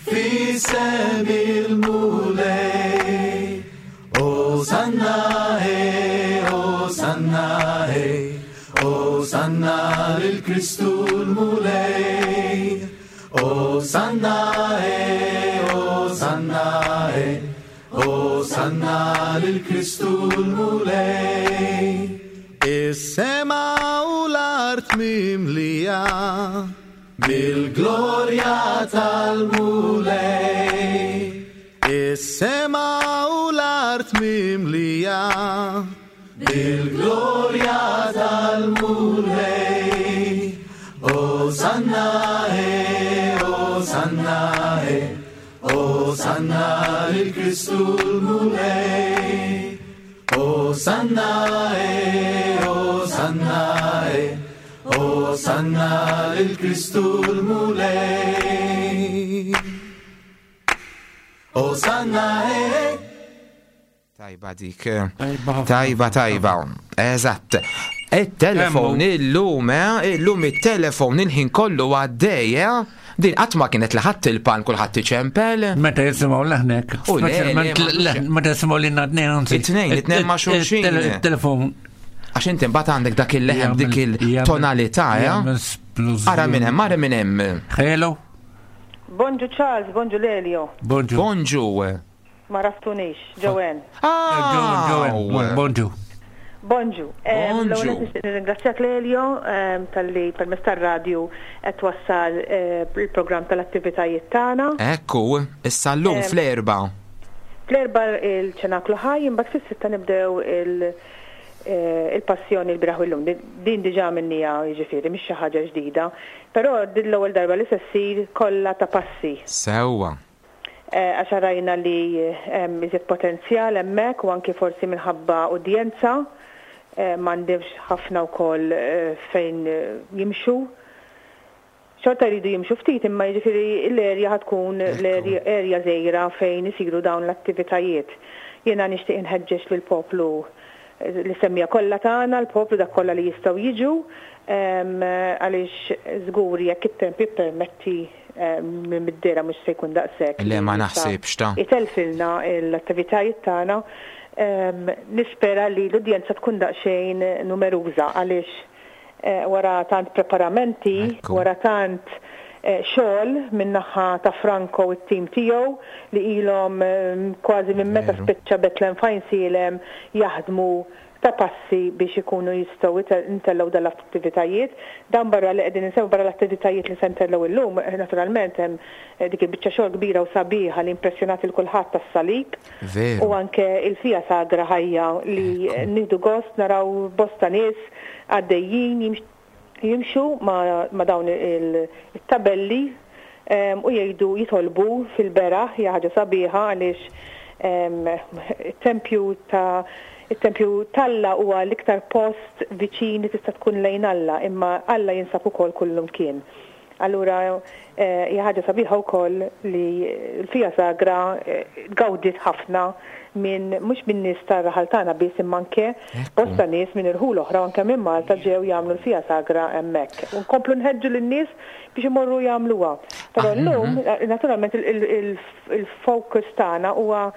f'isem il-Mulej. Osanna e, Osanna e, Osanna lil Kristu l-Mulej. Osanna e, Osanna e, Osanna lil Kristu l-Mulej. Is-sema u l-art mimlija mill-glorja tal-Mulej. Is-sema u l-art mimlija bil-glorja tal-Mulej. Osanna, eh, Osanna, eh, Osanna lil Kristu l-Mulej. Osanna, eh, Osanna, eh, Osanna lil Kristu l-Mulej. Osanna, eh. Tajba dik. Tajba, tajba. Eżatt. Il-telefon illum, eh, illum il-telefon il-ħin kollu għaddej, eh? Din qatt ma kienet li ħadd il-pan kulħadd iċempel. Meta jisimgħu leħnek, U le, le, speċjalment ma- leħ- meta jisimgħu li tnejn anzi. It-tnejn, it-tnejn ma' xulxin. Il-telefon. Għax inti mbagħad għandek dak il-leħen dik il-tonalità, eh? jagħmel splużjoni. Ara minn hemm, ara minn hemm. Hello. Bonġu Charles, bonġu Lelio. Bonġu. Bonġu. Ma raftunix, Joanne. Ah, Bonġu. Bonġu. Em, Bonġu. L-ewwel nett nixtieq nirringrazzjak Lelio em, talli permezz tar-radju qed twassal eh, il-programm tal-attivitajiet tagħna. Ekku, issa llum Em, fl-erba. Fl-erba il-ċenaklu ħaj, imbagħad fis-sitta nibdew il- eh, il-passjoni l-bieraħ u llum. Din- Din diġà minnija jiġifieri mhix xi ħaġa ġdida, però din l-ewwel darba li se ssir kollha ta' passi. Sewwa. Eh, Għax rajna li hemm iżjed potenzjal hemmhekk u anki forsi minħabba udjenza eh, m'għandhomx ħafna wkoll eh, fejn eh, jimxu. Xorta jridu jimxu ftit imma jiġifieri l-erja ħatkun l-erja erja żgħira fejn isiru dawn l-attivitajiet. Jiena nixtieq inħeġġeġ lill-poplu eh, li semmija kollha tagħna, l-poplu dak kollha li jistgħu jiġu em, għaliex żgur jekk it-temp jippermetti em, minn mid-dera mhux se jkun daqshekk. Le ma li jista' naħsibx ta' Itelfilna l-attivitajiet tagħna. Em, Nispera li l-udjenza tkun daqsxejn numeruża għaliex eh, wara tant preparamenti, wara tant eh, xogħol min-naħa ta' Franco u t-tim tiegħu li ilhom em, kważi minn meta spiċċa Bethlehem f'Għajnsielem jaħdmu ta' passi biex ikunu jistgħu ite- ntellgħu dal-attivitajiet. Dan barra li qegħdin insemmu barra l-attivitajiet li se ntellgħu illum, eh, naturalment hemm eh, dik il-biċċa xogħol kbira u sabiħa li impressjonat il kulħadd tas-salib. Veru. U anke il-fija sagra ħajja li nieħdu gost naraw bosta nies għaddejjin jimx- jimxu ma, ma dawn il- il-tabelli em, u jgħidu jitolbu fil-beraħ hija ħaġa sabiħa għaliex em, it-tempju ta' it-tempju t'Alla huwa l-iktar post viċin li tista' tkun lejn Alla, imma Alla jinsab ukoll kullum kien. Allura eh, hija ħaġa sabiħa wkoll li l-fija sagra eh, gawdit ħafna minn mhux minn nies tar-raħal tagħna biss imma anke bosta nies minn irħul oħra u anke minn Malta ġew jagħmlu l-fija sagra hemmhekk. U nkomplu nħeġġu lin-nies biex imorru jagħmluha. Però llum eh, naturalment il- il- il- il-focus tagħna huwa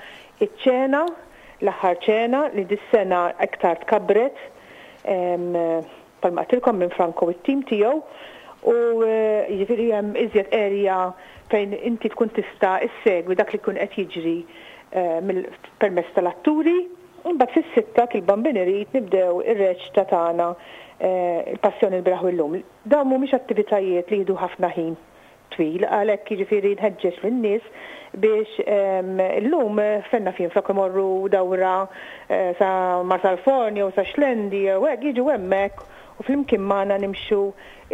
iċ-ċena, l-aħħar ċena li dis-sena iktar tkabret em, palma għedtilkom minn Franco u t-tim tiegħu u eh, jiġifieri hemm iżjed area fejn inti tkun tista' issegwi dak li jkun qed jiġri eh, mill- permezz tal-atturi. Imbagħad fis-sitta kil-bambin irid nibdew ir-reċta tagħna eh, il-passjoni l-bieraħ u llum. Dawn mhumiex attivitajiet li jieħdu ħafna ħin twil, għalhekk jiġifieri nħeġġeġ lin-nies biex em, illum eh, fenna fin flok imorru dawra eh, sa Marsalforn jew sa Xlendi jew hekk jiġu hemmhekk u flimkien magħna nimxu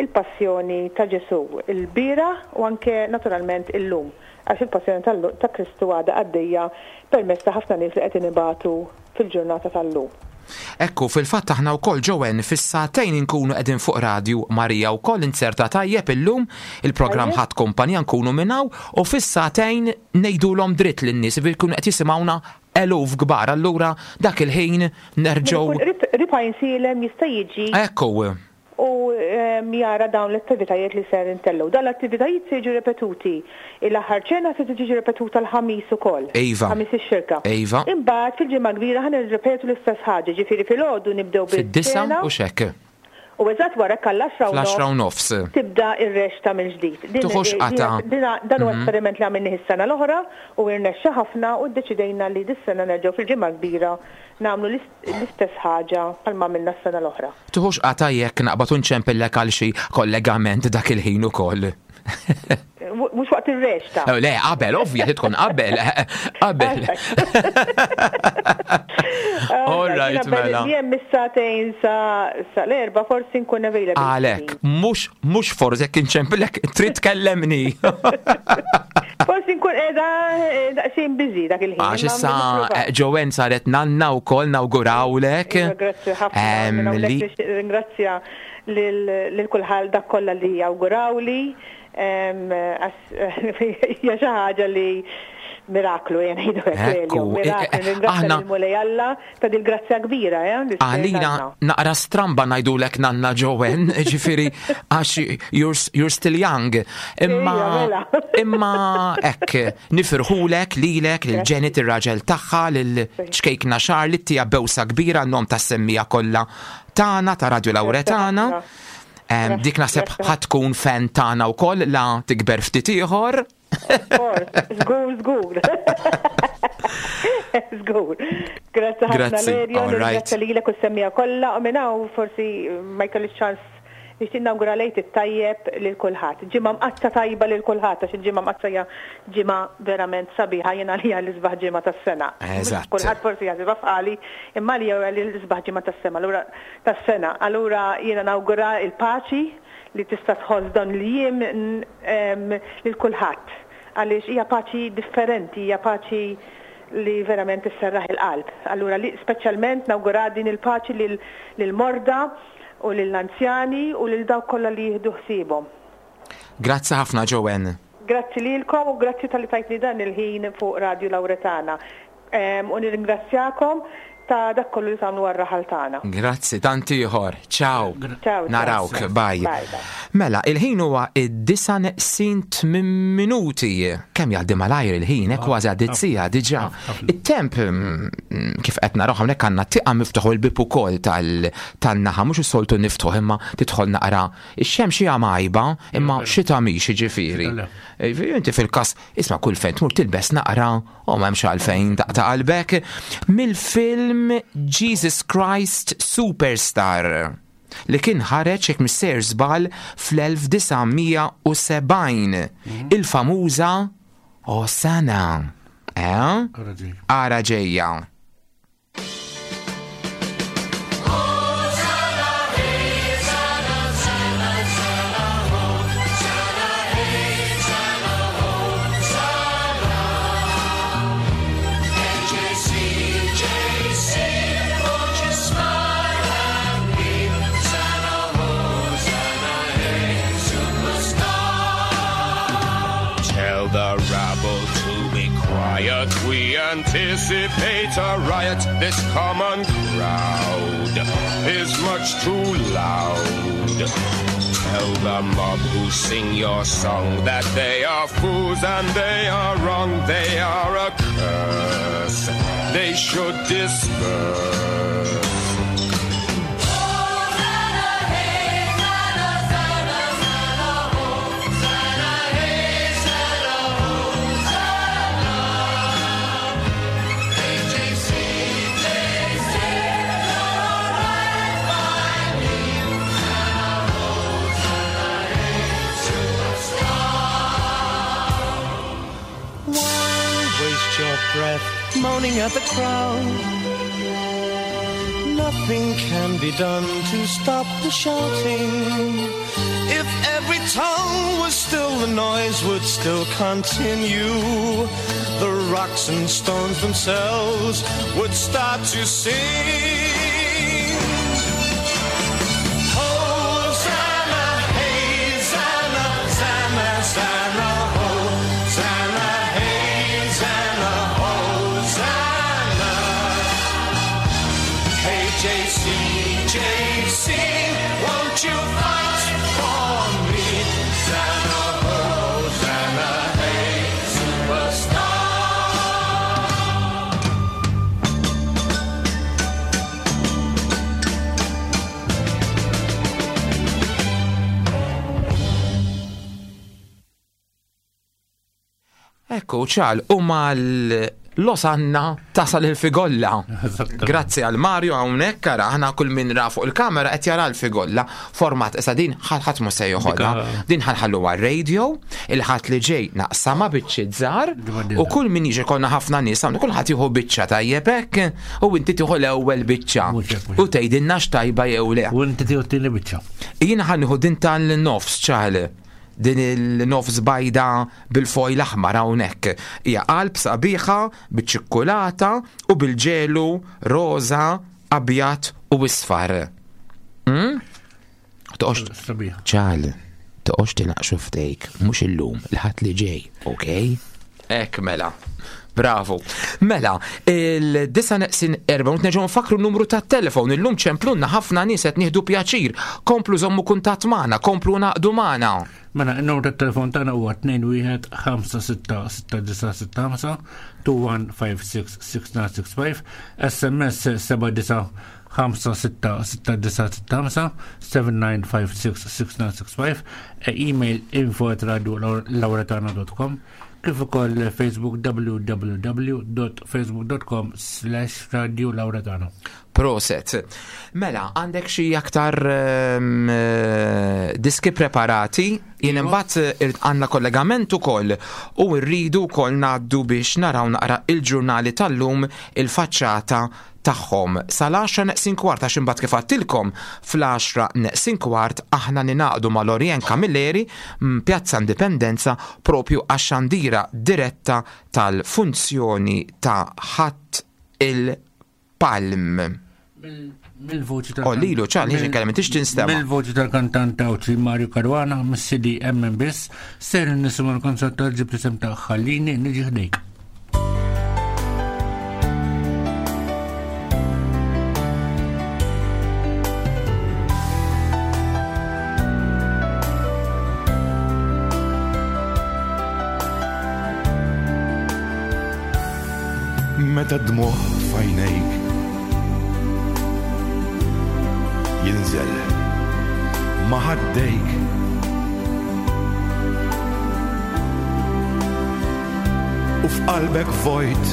il-passjoni ta' Ġesu il-bieraħ u anke naturalment illum għax il-passjoni tal- ta' Kristu għadha għaddejja permezz ta' ħafna nies li qed inibatu fil-ġurnata tal-lum. Ekku, fil-fatt aħna wkoll Joanne fis-sagħtejn inkunu qegħdin fuq Radju Marija wkoll inserta tajjeb illum il-programm Tajjeb. ħadd kumpanija nkunu minnaw u fis-sagħtejn ngħidulhom dritt lin-nies bi jkunu qed jisimgħuna eluf kbar. Allura dak il-ħin nerġgħu Qrib Għajnsielem jista' jiġi Ekku, u em, jara dawn l-attivitajiet li ser intellgħu. Dan l-attivitajiet se jiġu repetuti. Il-aħħar ċena se tiġi repetuta l-ħamis ukoll. Iva. Ħamis ix-xirka. Iva. Imbagħad fil-ġimgħa kbira ħa nirrepetu l-istess ħaġa, ġifieri filgħodu nibdew fid-disa bil-ċena u xek. u eżatt wara kall-għaxra u Fl-għaxra u nofs nofs. tibda ir-reċta mill-ġdid. Din- Tuħux din- qata. din- Dan huwa Mhm. esperiment li għamilni s-sena l-oħra u irnexxa ħafna u ddeċidejna li dis-sena nerġgħu fil-ġimgħa kbira nagħmlu l-ist- l-istess ħaġa bħalma għamilna s-sena l-oħra. Tuħux qata jekk naqbad unċempillek għal xi kollegament dak il-ħin ukoll. Mhux waqt ir-reċta. Eh, Le, qabel, ovvja, tkun qabel, qabel. All right, mela. Jien mis-sagħtejn sa sa l-erba' forsi nkun available. Għalek, mhux mhux forsi jekk inċempillek trid tkellemni. Forsi nkun qiegħda eh, daqsxejn busy dak il-ħin. Għax imma issa nipprova. eh, Joanne saret nanna wkoll nawgurawlek. Iva, Grazzi ħafna. Em, Minn hawnhekk li- nixtieq ringrazzja lil lil kulħadd dak kollha li awgurawli. Em, għax hija xi ħaġa li miraklu jien ngħidu hekk Ekku, Elio, miraklu. eh, eh, Ringrazzja aħna- lill-Mulej Alla ta' dil grazzja kbira, eh, li Għalina tagħna. naqra stramba ngħidulek nanna Joanne, ġifieri għax you're, you're still young. Imma Ija, mela. imma hekk nifirħulek lilek lil Janet ir-raġel tagħha lil ċkejkna Charlotte tija bewsa kbira n-nom tas-semmija kollha tagħna ta' Radio Lauretana. Em, Dik naħseb grazzi. ħa tkun fan tagħna wkoll la tikber ftit ieħor. Żgur, żgur. Żgur. Grazzi ħafna Grazzi, Lerja, all right. ringrazzja lilek u s-semmija kollha u minn hawn forsi ma jkollix ċans nixtieq nawgura lejt it-tajjeb lil kulħadd. Ġimgħa mqaddsa tajba lil kulħadd għax il-ġimgħa mqaddsa hija ġimgħa verament sabiħa jiena għalija l-isbaħ ġimgħa tas-sena. Eżatt. Kulħadd forsi jaħsibha f'qali, imma li hija l-isbaħ ġimgħa tas-sena. Allura tas-sena. Allura jiena nawgura il-paċi li tista' tħoss dan l-jiem em, lil kulħadd. Għaliex hija paċi differenti, hija paċi li verament isserraħ il-qalb. Allura li speċjalment nawgura din il-paċi lil- lil-morda u lill-anzjani u lil dawk kollha li jieħdu ħsiebhom. Grazzi ħafna Joanne. Grazzi lilkom u grazzi talli tajtni dan il-ħin fuq Radio Lauretana. Em, U nirringrazzjakom ta' dak kollu li tagħmlu għar-raħal tagħna. Grazzi, tant ieħor. Ciao. Ciao, ciao. Narawk, bye. Bye, bye. Mela, il-ħin huwa id-disa neqsin tmien minuti. Kemm jgħaddi malajr il-ħin, eh, kważi għaddit siegħa diġà. It-temp mm, mm, kif qed naraw hawnhekk għandna tieqa miftuħ il-bib ukoll tal- tan-naħa mhux is-soltu niftħu imma tidħol naqra. Ix-xemx hija majba, imma xita mhix jiġifieri. Eh, Inti fil-każ isma' kull fejn tmur tilbes naqra u m'hemmx għalfejn taqta' qalbek. Mill-film Jesus Christ Superstar li kien ħareġ jekk mhux sejjer żball fl-elf disa' mija u sebgħin. Il-famuża Osana. Eh? Ara ġejja. Tell the rabble to be quiet. We anticipate a riot. This common crowd is much too loud. Tell the mob who sing your song that they are fools and they are wrong. They are a curse. They should disperse. Why waste your breath moaning at the crowd? Nothing can be done to stop the shouting. If every tongue was still, the noise would still continue. The rocks and stones themselves would start to sing. Hosanna, hey, Zanna, Zanna, Zanna, Hosanna, hey, Zanna, Hosanna. Hey, J C, J C, won't you fight for me? Zanna, Hosanna, hey, superstar. Ekku, ċal, u mal-Losanna tasal il-figolla. Grazzi għal Mario hawnhekk ara aħna kull min ra fuq il-kamera qed jara l-figolla. Format issa din ħadd mhux se joħodha. Din ħanħallu għar-radio, il-ħadd li ġej naqsama biċċiet żgħar u kull min jiġi konna ħafna nies hawn kulħadd jieħu biċċa tajjeb hekk u inti tieħu l-ewwel biċċa u tgħidilna x'tajba jew le. U inti tieħu t-tieni biċċa. Jiena ħa nieħu din tal-nofs ċal. Din il-nofs bajda bil-fojl aħmar hawnhekk. Hija qalb sabiħa biċ-ċikkulata u bil-ġelu roża, abjad u isfar. Mm? Toqgħodx Sabiħa. ċal, toqgħodx tinaqxu f'dejk, mhux illum, il-ħadd li ġej, okej? Hekk mela. Bravo. Mela, il-disa neqsin erba, u nerġgħu nfakru n-numru tat-telefon. Illum ċemplunna ħafna nies qed nieħdu pjaċir. Komplu żommu kuntatt magħna, komplu naqdu magħna. Mela, n-numru tat-telefon tagħna huwa tnejn wieħed ħamsa sitta sitta disa' sitta ħamsa, two one five six six nine six five, S M S seba' disa' ħamsa sitta sitta disa' sitta ħamsa, seven nine five six six nine six five, email info at radio lauretana dot com, kif ukoll Facebook w w w dot facebook dot com slash radio lauretana. Proset. Mela, għandek xi aktar, ehm, eh, diski preparati? Jien imbagħad ir-, għandna kollegament ukoll u rridu wkoll ngħaddu biex naraw naqra il-ġurnali tal-lum il-faċċata tagħhom. Sal-għaxra neqsin kwart, għax imbagħad kif għadtilkom fl-għaxra neqsin kwart aħna ninaqdu ma' Lorien Camilleri m-, Pjazza Indipendenza propju għax-xandira diretta tal-funzjoni ta' Ħadd il-Palm. Mill-voċi tal- Oh, lilu, ċal, ħiġi nkellem, intix tinstema'. Mill-voċi tal-kantant Għawdxi Mario Caruana, mis-C D M M Biss, ser nisimgħu l-kanzunetta tal-ġib li sem ta' Ħallini niġi ħdejk. Meta d-dmugħ f'għajnejk jinżel ma' ħaddejk, u f'qalbek vojt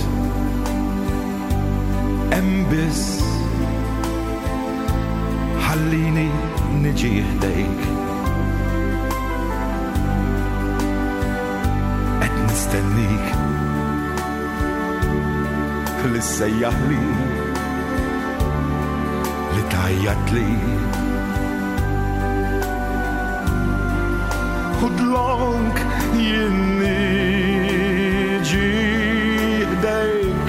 hemm biss ħallini niġi ħdejk. Qed nistennik li ssejjaħli, li tgħajjatli. U dlonk jien niġi ħdejk,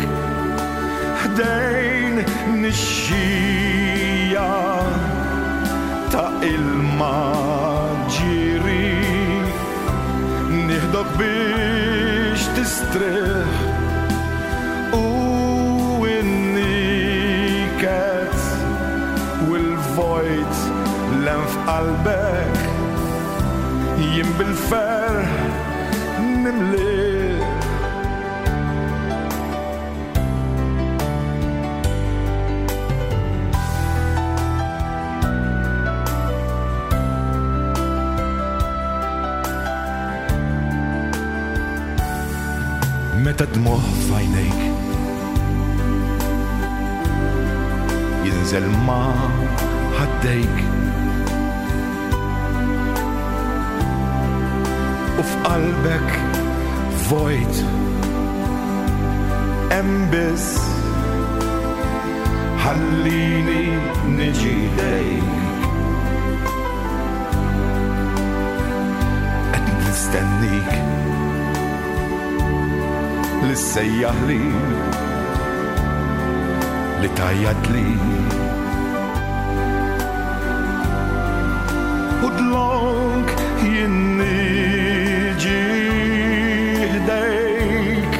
ħdejn nixxija ta' ilma ġiri, nieħdok biex tistrieħ u n-niket u l-vojt l-hemm f'qalbek jien bil-ferħ nimlih. Meta d-dmugħ f'għajnejk jinżel ma' ħaddejk, u f'qalbek vojt hemm biss ħallini niġi ħdejk. Qed nistennik li ssejjaħli, li tgħajjatli. U dlonk jien niġi ħdejk,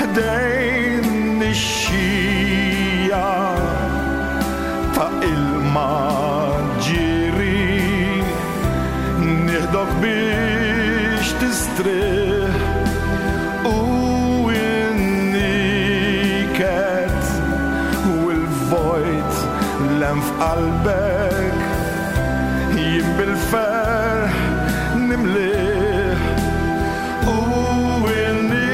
ħdejn nixxija ta' ilma ġiri, nieħdok biex tistrieħ u n-niket u l-vojt l-hemm f'qalbek jien bil-ferħ nimlih. U n-niket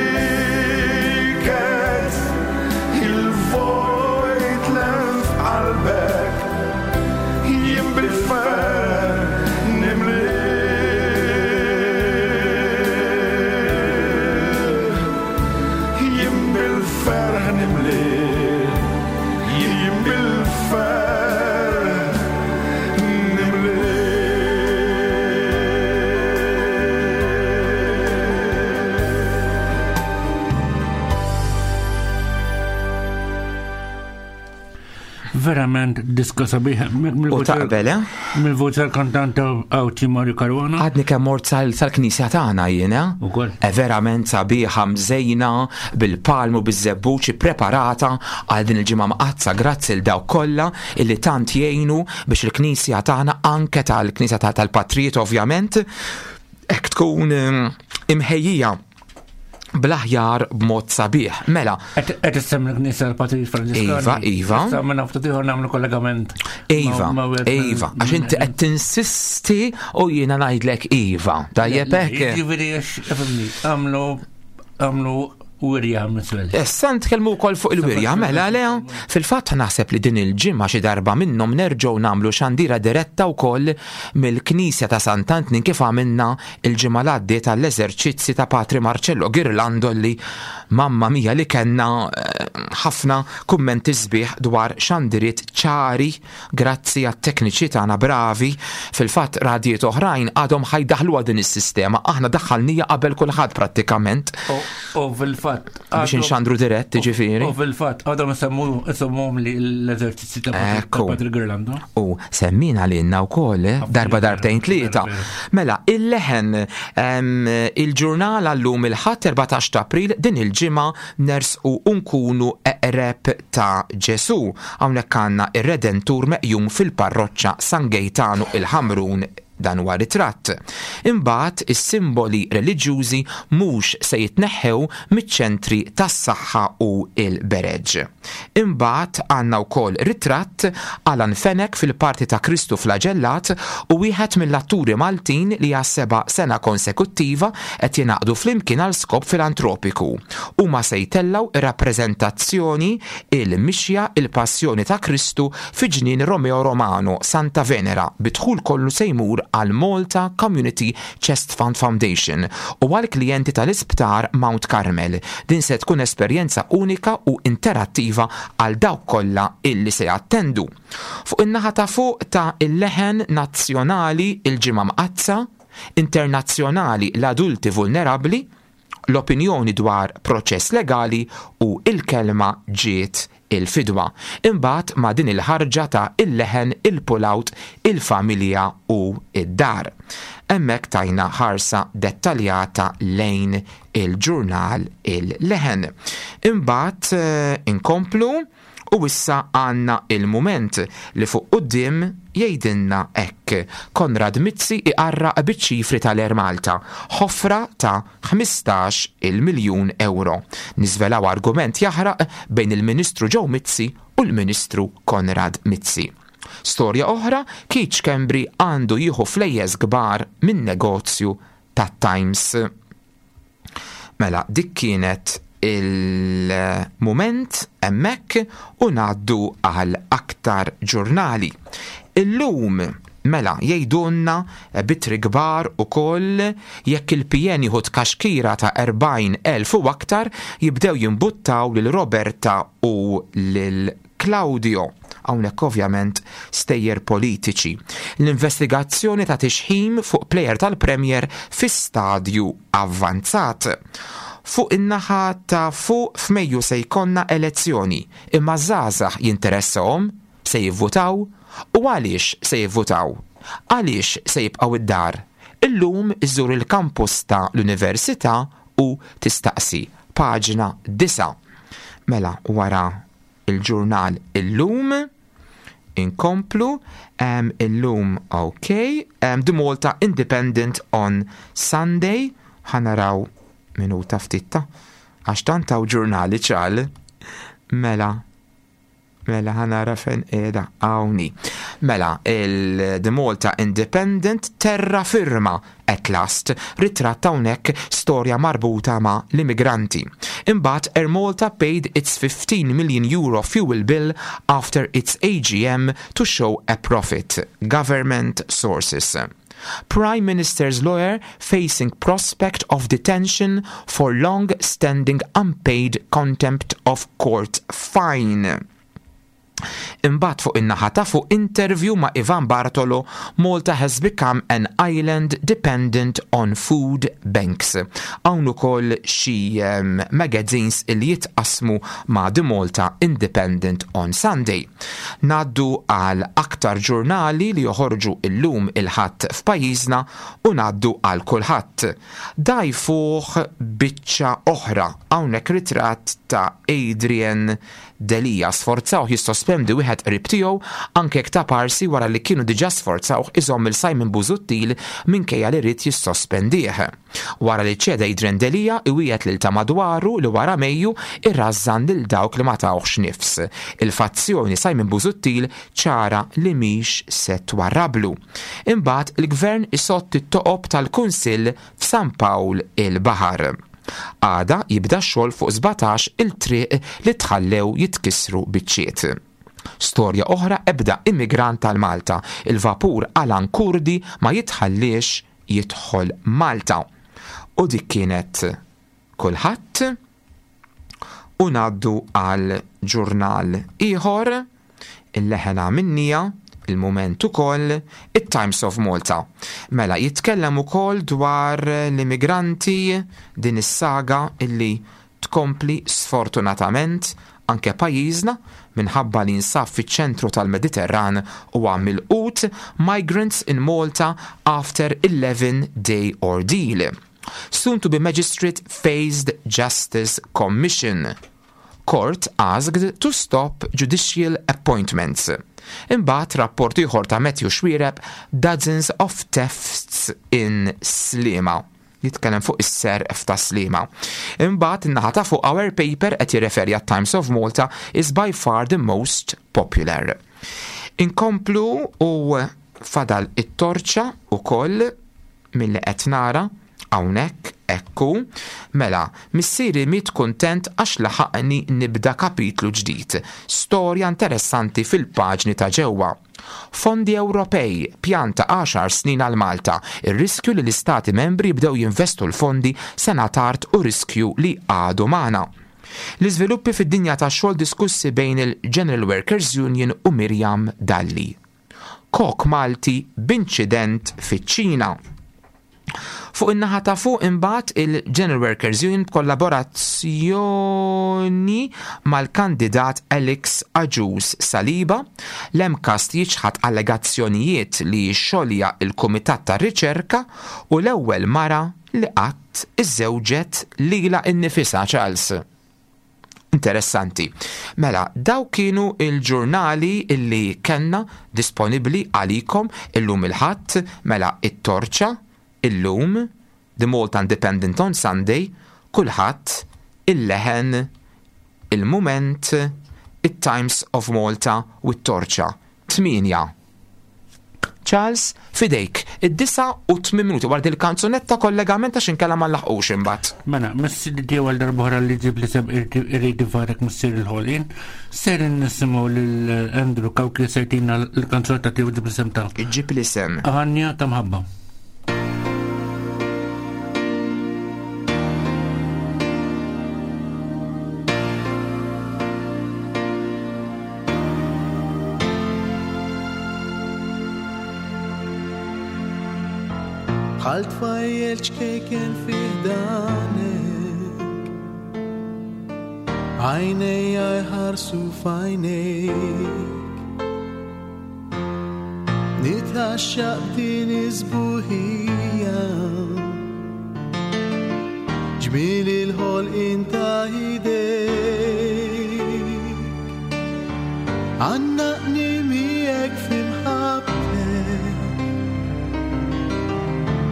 Verament diska sabiħa. U taqbel, eh? Mill-voċi tal-kantant Awti Mario Caruana. Għadni kemm mort sal- sal-knisja tagħna jiena. Ukoll. E verament sabiħa, mżejna bil-palmu, biż-żebbuċi, preparata għal din il-ġimgħa mqaddsa. Grazzi l dawk kollha illi tant jgħinu biex il-knisja tagħna, anke tal-knisja ta- tal-Patrijiet ovvjament, hekk tkun em, imħejjija bl-aħjar b'mod sabiħ. Mela, Qed issemmi l-Knisja tal-Patrijiet Franġiskani. Iva, iva. Issa minn ftit ieħor nagħmlu kollegament. Iva, ma'- ma' wieħed Iva, mill- għax inti qed tinsisti u jiena ngħidlek iva. Tajjeb hekk. Ġifieri għax, ifhimni, għamlu għamlu wirja miswel. Issa nitkellmu wkoll fuq il-wirja, mela le, fil-fatt naħseb li din il-ġimgħa xi darba minnhom nerġgħu nagħmlu xandira diretta wkoll mill-Knisja ta' Sant'Antnin, kif għamilna il-ġimgħa l-għaddiet għall-eżerċizzi ta' Patri Marcello Girlando, li mamma mia li kellna eh, ħafna kummenti sbieħ dwar xandiriet ċari grazzi għat-tekniċi tagħna bravi. Fil-fatt radijiet oħrajn għadhom ħa jdaħħluha din is-sistema, aħna daħħalnija qabel kulħadd prattikament U fil-fatt. Biex inxandru dirett, ġifieri. U fil-fatt għadhom isemmuhom li l-eżerċizzi ta' Patri- ta' Ekku. Patri Girlando. U semmina lilna wkoll, eh, darba, darbtejn, tlieta. Mela, Il-Leħen, em, il-ġurnal għallum il-Ħadd erbatax ta' April, din il-ġimgħa nersqu nkunu eqreb ta' Ġesu. Hawnhekk għandna ir-Redentur meqjum fil-parroċċa San Gejtanu il-Ħamrun, dan huwa ritratt. Imbagħad is-simboli reliġjużi mhux se jitneħħew miċ-ċentri tas-saħħa u il-bereġ. Imbagħad għandna wkoll ritratt Alan Fenech fil-parti ta' Kristu flagellat u wieħed mill-atturi Maltin li għas seba' sena konsekuttiva qed jingħaqdu flimkien għal skop filantropiku. Huma se jtellaw ir-rappreżentazzjoni Il-Mixja il-Passjoni ta' Kristu fi ġnien Romeo Romano Santa Venera, bid-dħul kollu se jmur għal Malta Community Chest Fund Foundation u għal klijenti tal-Isptar Mount Carmel. Din se tkun esperjenza unika u interattiva għal dawk kollha illi se jattendu. Fuq in-naħa ta' fuq ta' Il-Leħen, nazzjonali il-ġimgħa mqaddsa, internazzjonali l-adulti vulnerabbli, l-opinjoni dwar proċess legali u il-kelma ġiet il-fidwa. Imbagħad ma' din il-ħarġa ta' Il-Leħen il-pull-out il-familja u id-dar. Hemmhekk tajna ħarsa dettaljata lejn il-ġurnal Il-Leħen. Imbagħad eh, inkomplu u issa għandna Il-Mument li fuq quddiem jgħidilna hekk: Konrad Mizzi iqarraq biċ-ċifri tal-Air Malta, ħofra ta' ħmistax il-miljun euro. Niżvelaw argument jaħraq bejn il-Ministru Joe Mizzi u l-Ministru Konrad Mizzi. Storja oħra, Keith Schembri għandu jieħu flejjes kbar minn negozju ta' Times. Mela, dik kienet Il-Mument hemmhekk u ngħaddu għal aktar ġurnali. Illum, mela, jgħidulna b'ittri kbar ukoll jekk il-P N jieħu tkaxkira ta' erbgħin elf u aktar jibdew jimbuttaw lil Roberta u lil Claudio. Hawnhekk ovvjament stejjer politiċi. L-investigazzjoni ta' tixħim fuq plejer tal-Premier fi stadju avvanzat. Fuq in-naħa ta' fuq, f'Mejju se jkollna elezzjoni, imma żgħażagħ jinteressahom? Se jivvutaw? U għaliex se jivvutaw? Għaliex se jibqgħu id-dar? Illum iżur il-kampus ta' l-Università u tistaqsi. Paġna disa. Mela, wara il-ġurnal Illum inkomplu um, Illum, ok, um, The Malta Independent on Sunday, ħa naraw minuta ftitta għax tant hawn ġurnali ċal. Mela, mela ħa nara fejn qiegħda hawnhi. Mela, il-The Malta Independent, terra firma at last, ritratt hawnhekk storja marbuta ma' l-immigranti. Imbagħad Air Malta paid its fifteen million euro fuel bill after its A G M to show a profit. Government sources. Prime Minister's lawyer facing prospect of detention for long-standing unpaid contempt of court fine. Imbagħad fuq in-naħa ta' fuq interview ma' Ivan Bartolo, Malta has become an island dependent on food banks. Hawn ukoll xi um, magazines li jitqasmu ma' The Malta Independent on Sunday. Ngħaddu għal aktar ġurnali li joħorġu illum il-Ħadd f'pajjiżna u ngħaddu għal Kullħadd. Dajfuh biċċa oħra, hawnhekk ritratt ta' Adrian Delia sforzawh jissospendi wieħed qrib tiegħu anke ta' parsi wara li kienu diġà sforzawh iżomm il Simon Busuttil minkejja li ried jissospendih. Wara li ċeda Adrian Delia iwiegħed lil ta' madwaru li wara Mejju irrażżan lil dawk li ma tawhx nifs. Il-fazzjoni Simon Busuttil ċara li mhix se twarrablu. Imbagħad il-gvern isott it-toqob tal-Kunsill f'San Pawl il-Baħar. Għada jibda xogħol fuq sbatax il-triq li tħallew jitkissru biċċiet. Storja oħra, ebda immigrant tal-Malta. Il-vapur Alan Kurdi ma jitħalliex jidħol Malta. U dik kienet Kullħadd. U ngħaddu għal ġurnal ieħor, Il-Leħen minnija, Il-Mument ukoll, it-Times of Malta. Mela jitkellem ukoll dwar l-immigranti, din is-saga illi tkompli sfortunatament anke pajjiżna minħabba li jinsab fiċ-ċentru tal-Mediterran u milqut. Migrants in Malta after eleven day ordeal. Soon to be magistrate faced Justice Commission. Court asked to stop judicial appointments. Imbagħad rapport ieħor ta' Matthew Xuereb, dozens of thefts in Sliema. Jitkellem fuq is-serq ta' Sliema. Imbagħad in-naħa ta' fuq Our Paper qed jirreferi għat-Times of Malta is by far the most popular. Inkomplu u fadal It-Torċa ukoll milli qed nara hawnhekk ekku. Mela, missieri miet kuntent għax laħaqni nibda kapitlu ġdid. Storja interessanti fil-paġni ta' ġewwa. Fondi Ewropej, pjan ta' għaxar snin għal Malta, ir-riskju li l-istati membri jibdew jinvestu l-fondi sena tard u riskju li għadu magħna. L-iżviluppi fid-dinja tax-xogħol diskussi bejn il-General Workers Union u Miriam Dalli. Kok Malti b'inċident fiċ-Ċina. Fuq in-naħa ta' fuq imbagħad il-General Workers Union b'kollaborazzjoni mal-kandidat Alex Agius Saliba, l-MCAST jiċħad allegazzjonijiet li xolja il-Kumitat tar-Riċerka u l-ewwel mara li qatt iżżewġet lilha innifisha Charles. Interessanti. Mela, daw kienu il-ġurnali illi kellna disponibbli għalikom illum il-Ħadd, mela It-Torċa, Illum, The Malta Independent on Sunday, Kullħadd, Il-Leħen, Il-Mument, it-Times of Malta u It-Torċa. Tminja. Charles, fidejk, id-disa u tmien minuti wara dil-kanzunetta kollegament għax inkella ma nlaħqux imbagħad. Mela, missi tiegħu għal darb'oħra li ġib li sem irrid ifarek missier il-ħolqien, ser nisimgħu lil Andrew Cauchi sejtina l-kanzunetta tiegħu ġib li sem ta'. Ġib li sem. Għanja ta' mħabba. Bħal tfajjel ċkejken fi ħdanek, għajnejja jħarsu f'għajnejk, nitgħaxxaq b'din iż-sbuħija, ġmiel il-ħolqien ta' idejk. Għannaqni miegħek fi mħabbtek,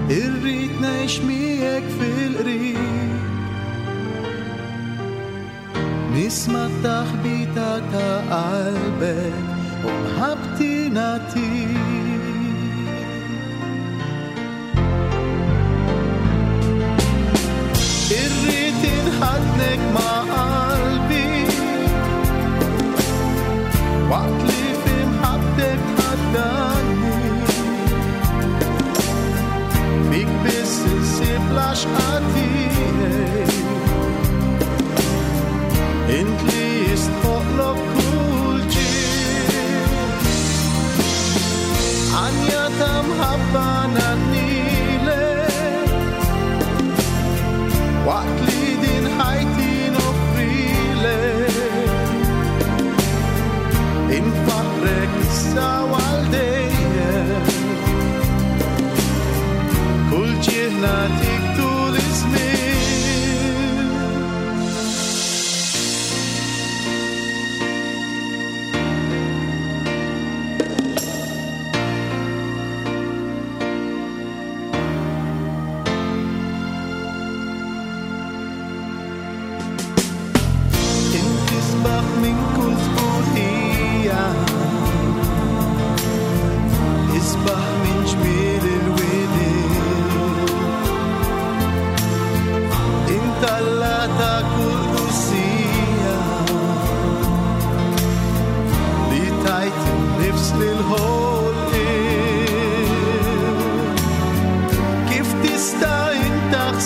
irrid ngħix miegħek fil-qrib, nisma' t-taħbita ta' qalbek u mħabbti nagħtik. Irrid inħaddnek ma' qalbi waqt li fi mħabbtek tħaddanni, fik biss insib l-għaxqa tiegħi, int li jistħoqlok kull ġid.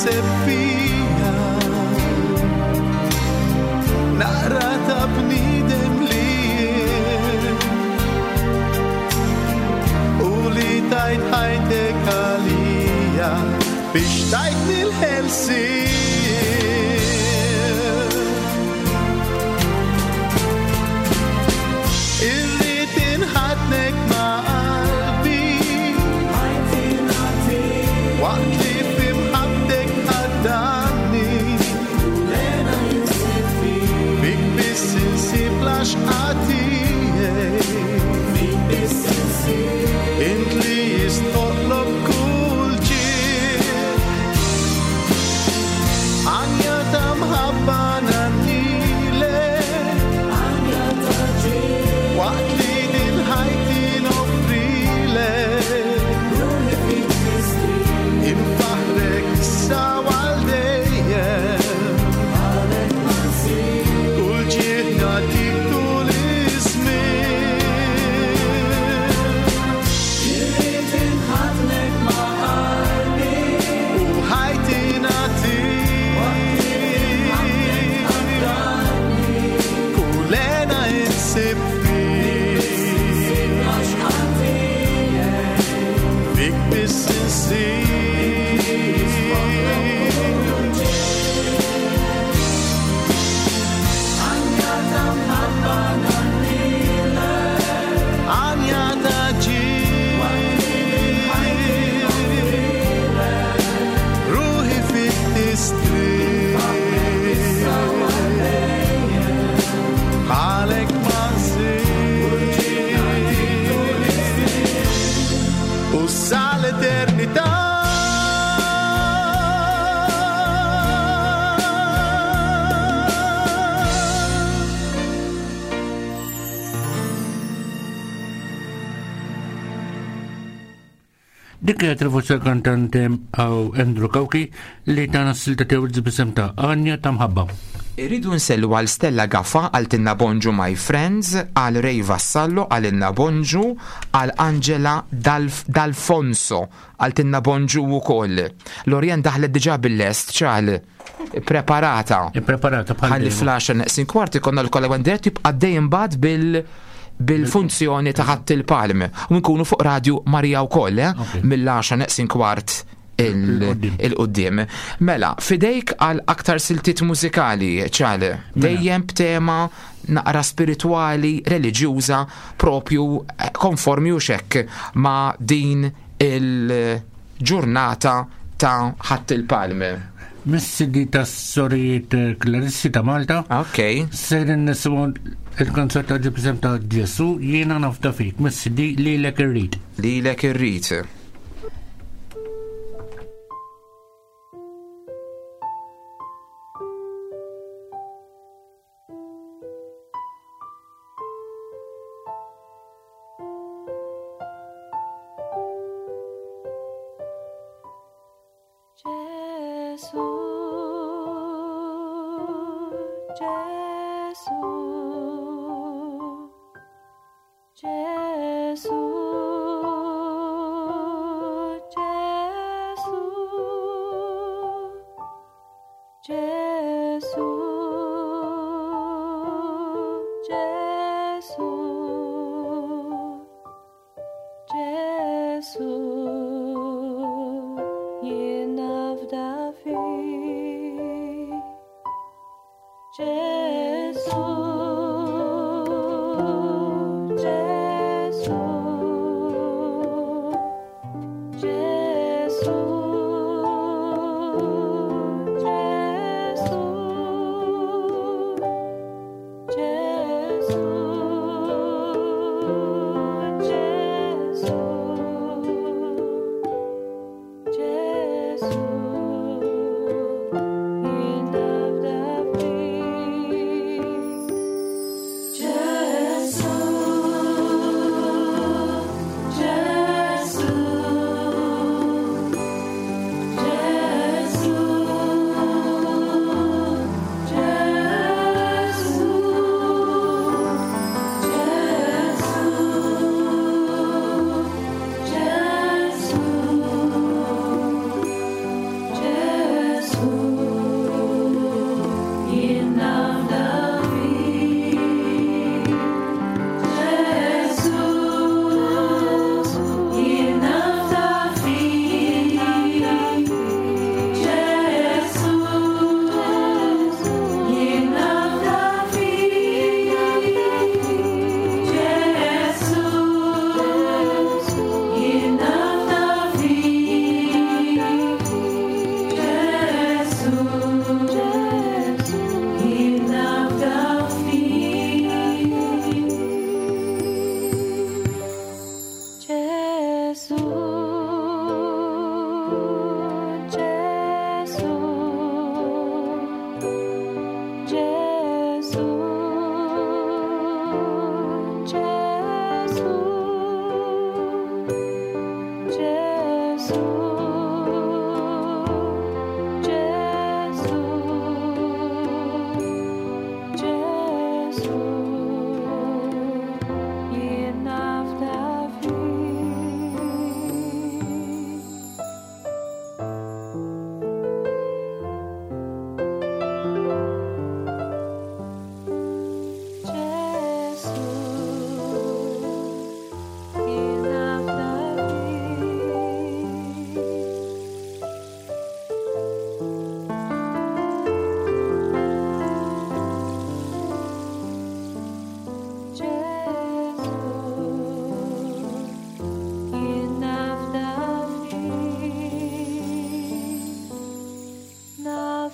insib fija naqra ta' bniedem li jien u li tajt ħajtek għalija biex tajtni l-ħelsien. Irrid inħaddnek ma' qalbi waqt li fi mħabbtek ħaddanni fik biss insib l-għaxqa tiegħi int li jistħoqlok kull ġieħ għanja ta' mħabba nagħnilek waqt li din ħajti noffrilek infaħrek issa għal dejjem kull ġieħ nagħtik tul iż-żmien. Irrid inħaddnek ma' qalbi U ħajti nagħtik kull hena insib fik fik biss insib. Għanja ta' ġieħ ruħi fik tistrieħ bħalek ma nsib u sal-eternità. Dik kienet il-voċi tal-kantante għaw Andrew Cauchi li tana s-silta tiegħu b'isem ta' Għanja ta' Mħabba. Irridu nsellu għal Stella Gaffa, għal Tinna Bonġu My Friends, għal Ray Vassallo, għal Inna Bonġu, għal Angela Dalf-, D'Alfonso, għal Tinna Bonġu u koll. Lorien daħlet diġa bil-lest, ċal, preparata. Preparata bħal Ħalli dejjem. fl-għaxar neqsin kwart ikonna l-kolla dirett jibqa' dejjem bad bil bil-funzjoni ta' Ħadd il-Palm. U nkunu fuq Radio Maria wkoll, eh? Mill-għaxar neqsin kwart il- il-qoddim. Mela, fidejk għal aktar siltiet mużikali, ċale, dejjem b'tema naqra spiritwali, reliġjuża, propju eh, konformi u xekk ma' din il-ġurnata ta' Ħadd il-Palm. Mis-C D ta' Sorijiet Klarissi ta' Malta. Ok. Sejrin nisimgħu il-kanzunetta b'isem ta' Ġesu jiena nafda fik. Mis-C D Lilek Irrid. Lilek Irrid. Ġesu, Ġesu, Ġesu, Ġesu, Ġesu, Ġesu, Ġesu, jien nafda fik. Ġesu, Ġesu, Ġesu, Ġesu, Ġesu, Ġesu, Ġesu, jien nafda fik.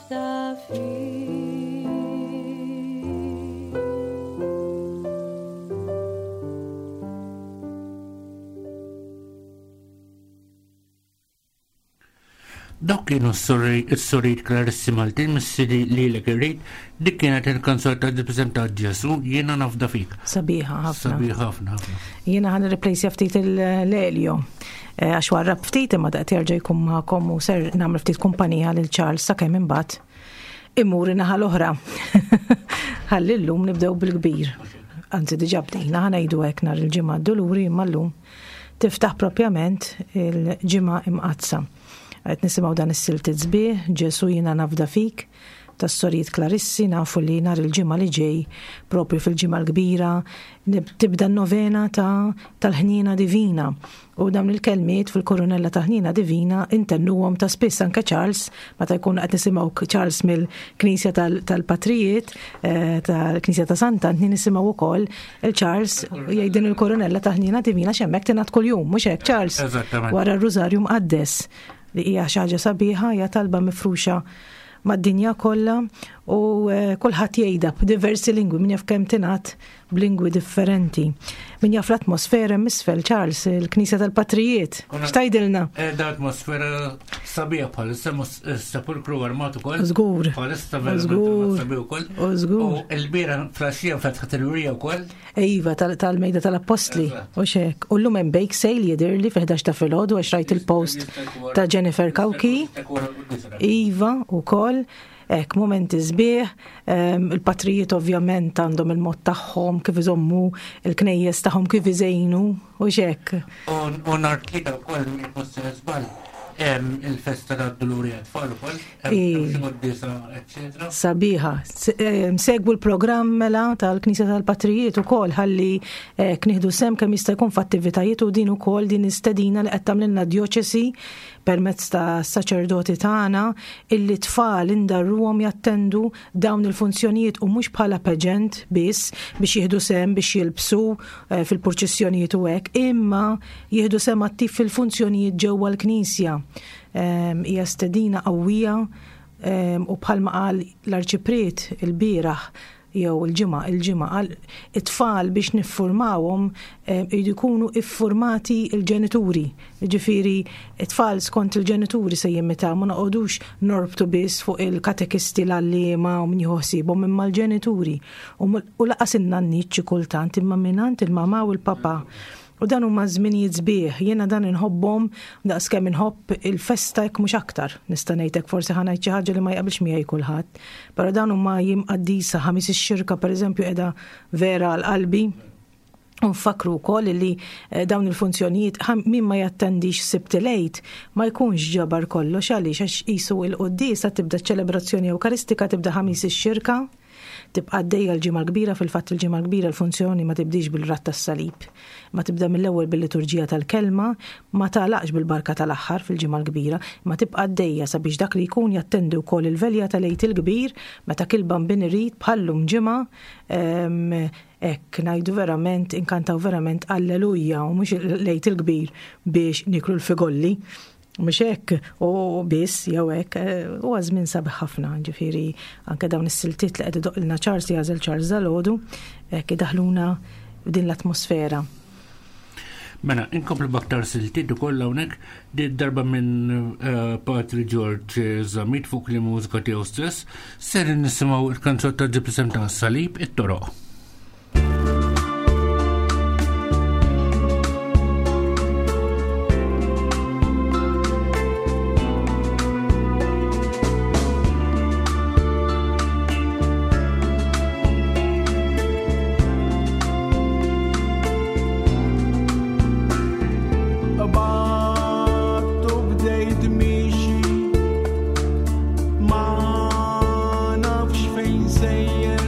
nafda fik. Dawk kienu s-sorijiet Klarissi Maltin mis-C D Lilek Irrid, dik kienet il-kanzunetta ta' Ġesu, Jiena Nafda Fik. Sabiħa ħafna. Sabiħa ħafna ħafna. Jiena ħa nirreplace ftit il-Lelio. Eh, Għax warrab ftit, imma daqt jerġa' jkun magħkom u ser nagħmel ftit kumpanija lil Charles sakemm imbagħad imur naħa l-oħra. Ħalli llum nibdew bil-kbir. Anzi, diġà bdejna, ħa ngħidu hekk, nhar il-Ġimgħa Duluri, imma llum tiftaħ propjament il-Ġimgħa Imqaddsa. Qed nisimgħu dan is-siltiet sbieħ, Ġesu Jiena Nafda Fik, tas-sorijiet Klarissi. Nafu li nhar il-Ġimgħa li ġej, propju fil-Ġimgħa l-Kbira, nib- tibda n-novena ta' tal-Ħnina Divina. U dawn il-kelmiet fil-Koronella ta' Ħnina Divina intennuhom ta' spiss anke Charles, meta jkun qed nisimgħu Charles mill-Knisja tal- tal-Patrijiet, eh, tal-Knisja ta' Sant'Antni, nisimgħu wkoll il-Charles jgħid din il-Koronella ta' Ħnina Divina, x'hemmhekk tingħad kuljum, mhux hekk, Charles? Eżattament. Wara r-Rużarju Mqaddes, li hija xi ħaġa sabiħa, hija talba mifruxa mad-dinja kollha u eh, kulħadd jgħidha b'diversi lingwi, min jaf kemm tingħad b'lingwi differenti. Min jaf l-atmosfera misfel, Charles, il-Knisja tal-Patrijiet. X'tgħidilna? Da atmosfera sabiħa bħalissa, sepulkru armat ukoll. Żgur. Bħalissa verament Żgur. sabiħ ukoll. U żgur. U l-bieraħ filgħaxija fetħet il-wirja wkoll. Iva, tal- tal-mejda tal-Appostli. U xek. U llum hemm bake sale jidhirli fil-ħdax ta' filgħodu, għax rajt il-post ta' Jennifer Cauchi. Iva, u koll. Ek, momenti sbieħ, em, il-patrijiet ovvjament għandhom il-mod tagħhom kif iżommu il-knejjes tagħhom, kif iżejnu, u xek. U nhar Tlieta wkoll, mhux żball, hemm il-festa tad-Duluri għat-tfal ukoll, hemm I. xi quddiesa, eċċetera. Sabiħa. Se- em, Segwu l-programm mela tal-Knisja tal-Patrijiet ukoll, ħalli eh, nieħdu sehem kemm jista' jkun f'attivitajiet, u din ukoll din istedina li qed tagħmlilna djoċesi permezz ta' saċerdoti tagħna, illi tfal indarruhom jattendu dawn il-funzjonijiet, u mhux bħala pageant biss biex jieħdu sehem, biex jilbsu eh, fil-purċissjonijiet u hekk, imma jieħdu sehem attiv fil-funzjonijiet ġewwa l-Knisja. Em, Hija stedina qawwija em, u bħalma qal l-arċipriet il-bieraħ jew il-ġimgħa, il-ġimgħa qal it-tfal biex niffurmawhom em, jridu jkunu iffurmati il-ġenituri. Ġifieri it-tfal skont il-ġenituri se jimitaw, ma noqogħdux norbtu biss fuq il-katekisti, l-għalliema u min jieħu ħsiebhom, imma l-ġenituri. U mul- U lanqas in-nanniet xi kultant, imma mingħand il-mama u l-papa. U dan huma żminijiet sbieħ, jiena dan inħobbhom daqs kemm inħobb il-festa, jekk mhux aktar. Nista' ngħidlek, forsi ħa ngħid xi ħaġa li ma jaqbilx miegħi kulħadd. Però dan huma jiem qaddisa, Ħamis ix-Xirka pereżempju qiegħda vera għal qalbi. Nfakru wkoll li eh, dawn il-funzjonijiet, ħam- min ma jattendix Sibt il-Għid ma jkunx ġabar kollox. Għaliex? Għax qisu il-quddiesa tibda, ċelebrazzjoni Ewkaristika tibda Ħamis ix-Xirka, tibqa' għaddejja l-Ġimgħa l-Kbira. Fil-fatt il-Ġimgħa l-Kbira l-funzjoni ma tibdix bil-radd tas-salib, ma tibda mill-ewwel bil-liturġija tal-kelma, ma tagħlaqx bil-barka tal-aħħar fil-Ġimgħa l-Kbira, ma tibqa' għaddejja sabiex dak li jkun jattendi wkoll il-velja tal-Għid il-Kbir, meta il-Bambin irid bħallum ġimgħa em, hekk ngħidu verament, inkantaw verament Alleluja, u mhux l-Għid il-Kbir biex niklu l-figolli. Mhux hekk u biss jew hekk, eh, huwa żmien sabiħ ħafna, ġifieri anke dawn is-siltiet li qed idoqilna Charles, li għażel Charles dalgħodu, hekk idaħluna din l-atmosfera. Mela, inkomplu b'aktar siltiet ukoll hawnhekk, di darba minn eh, Patri George Zammit fuq li mużika tiegħu stess, ser nisimgħu il-kanzunetta ġib isem ta' Salib it-Toroq. Qbadt u bdejt miexi, ma nafx fejn sejjer.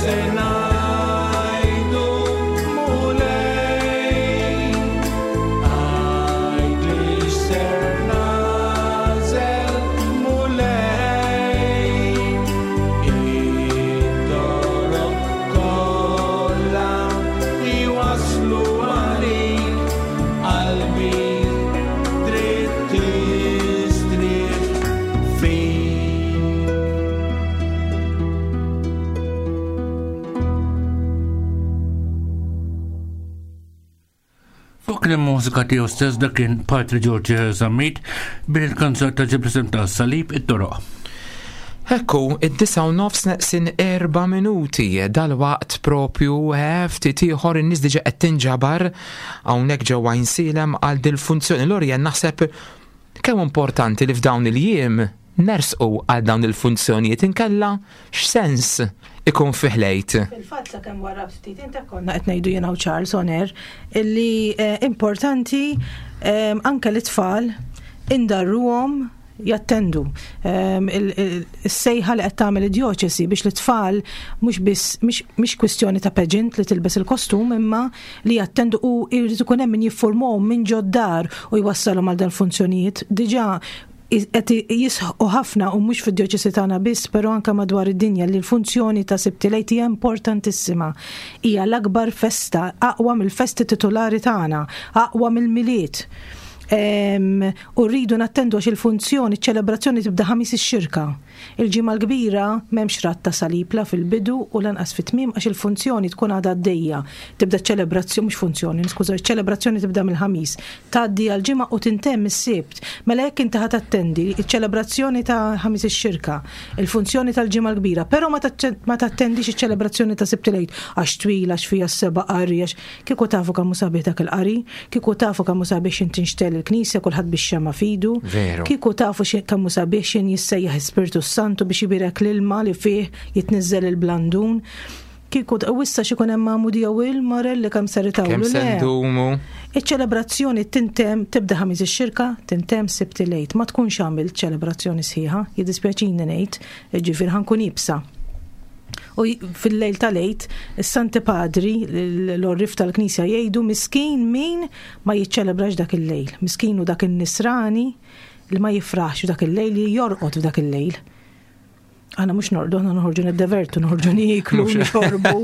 X'ser ngħidu Mulej? Għidli x'ser nagħżel Mulej? It-toroq kollha jwasslu għalik, qalbi trid tistrieħ fik. Fuq il-mużika tiegħu stess dak kien Patri George Zammit bil-kanzunetta ġib ta' Salib it-Toroq. Ekku, id-disa u nofs neqsin erba minuti, dal-waqt propju eh, ftit ieħor in-nies diġà qed tinġabar hawnhekk ġewwa Għajnsielem għal dil-funzjoni. Lorien, naħseb kemm importanti li f'dawn il-jiem nersqu għal dawn il-funzjonijiet, inkella x'sens ikun fih l-Għid. Fil-fatt sa kemm wara ftit inta konna qed ngħidu jiena u Charles on air illi eh, importanti eh, anke l-itfal indarruhom jattendu. Ehm, il- il- Is-sejħa li qed tagħmel id-djoċesi biex l-tfal mhux biss mhix mhix kwistjoni ta' pageant li tilbes il-kostum imma li jattendu u jrid ikun hemm min jiffurmahom minn ġod-dar u jwassalhom għal dan funzjonijiet. Diġà qed jisħqu ħafna u mhux fid-djoċesi tagħna biss, però anke madwar id-dinja li l-funzjoni ta' Sibt il-Għid hija importantissima. Hija l-akbar festa, aqwa mill-festi titolari tagħna, aqwa mill-Milied. Em, U rridu nattendu għax il-funzjoni, ċ-ċelebrazzjoni tibda Ħamis ix-Xirka. Il-Ġimgħa l-Kbira m'hemmx radd ta' salib la fil-bidu u lanqas fit-tmiem għax il-funzjoni tkun għadha għaddejja. Tibda ċelebrazzjoni, mhux funzjoni, niskuża, ċelebrazzjoni tibda mill-Ħamis, tgħaddi għal-Ġimgħa u tintemm is-Sibt. Mela jekk inti ħa tattendi iċ-ċelebrazzjoni ta' Ħamis ix-Xirka, il-funzjoni tal-Ġimgħa l-Kbira, però ma taċċe- ma tattendix iċ-ċelebrazzjoni ta' Sibt il-Għid għax twila, għax fiha s-seba' qari, għax kieku tafu kemm hu sabiħ dak il-qari, kieku tafu kemm hu sabiħ x'in tinxtegħel il-knisja kulħadd bix-xemgħa f'idu. Veru. Kieku tafu xi- kemm hu sabiħ x'in jissejjaħ Spiritu Santu biex ibierek l-ilma li fih jitniżżel il-blandun. Kieku u issa x'ikun hemm magħmudija u il-marelli kemm ser itawlu. Kemm se Le. ndumu? Iċ-ċelebrazzjoni tintemm tibda Ħamis ix-Xirka, tintemm Sibt il-Għid. Ma tkunx għamilt ċelebrazzjoni sħiħa, jiddispjaċini ngħid, ġifier ħa nkun iebsa. U j- fil-lejl tal-Għid, is-Santi Padri, l-għorrief tal-Knisja jgħidu miskin min ma jiċċelebrax dak il-lejl. Miskin u dak il-nisrani li ma jifraħx dak il-lejl li jorqod f'dak il-lejl. Aħna mhux norqdu, aħna noħorġu niddevertu, noħorġu nieklu, Mhux- nixorbu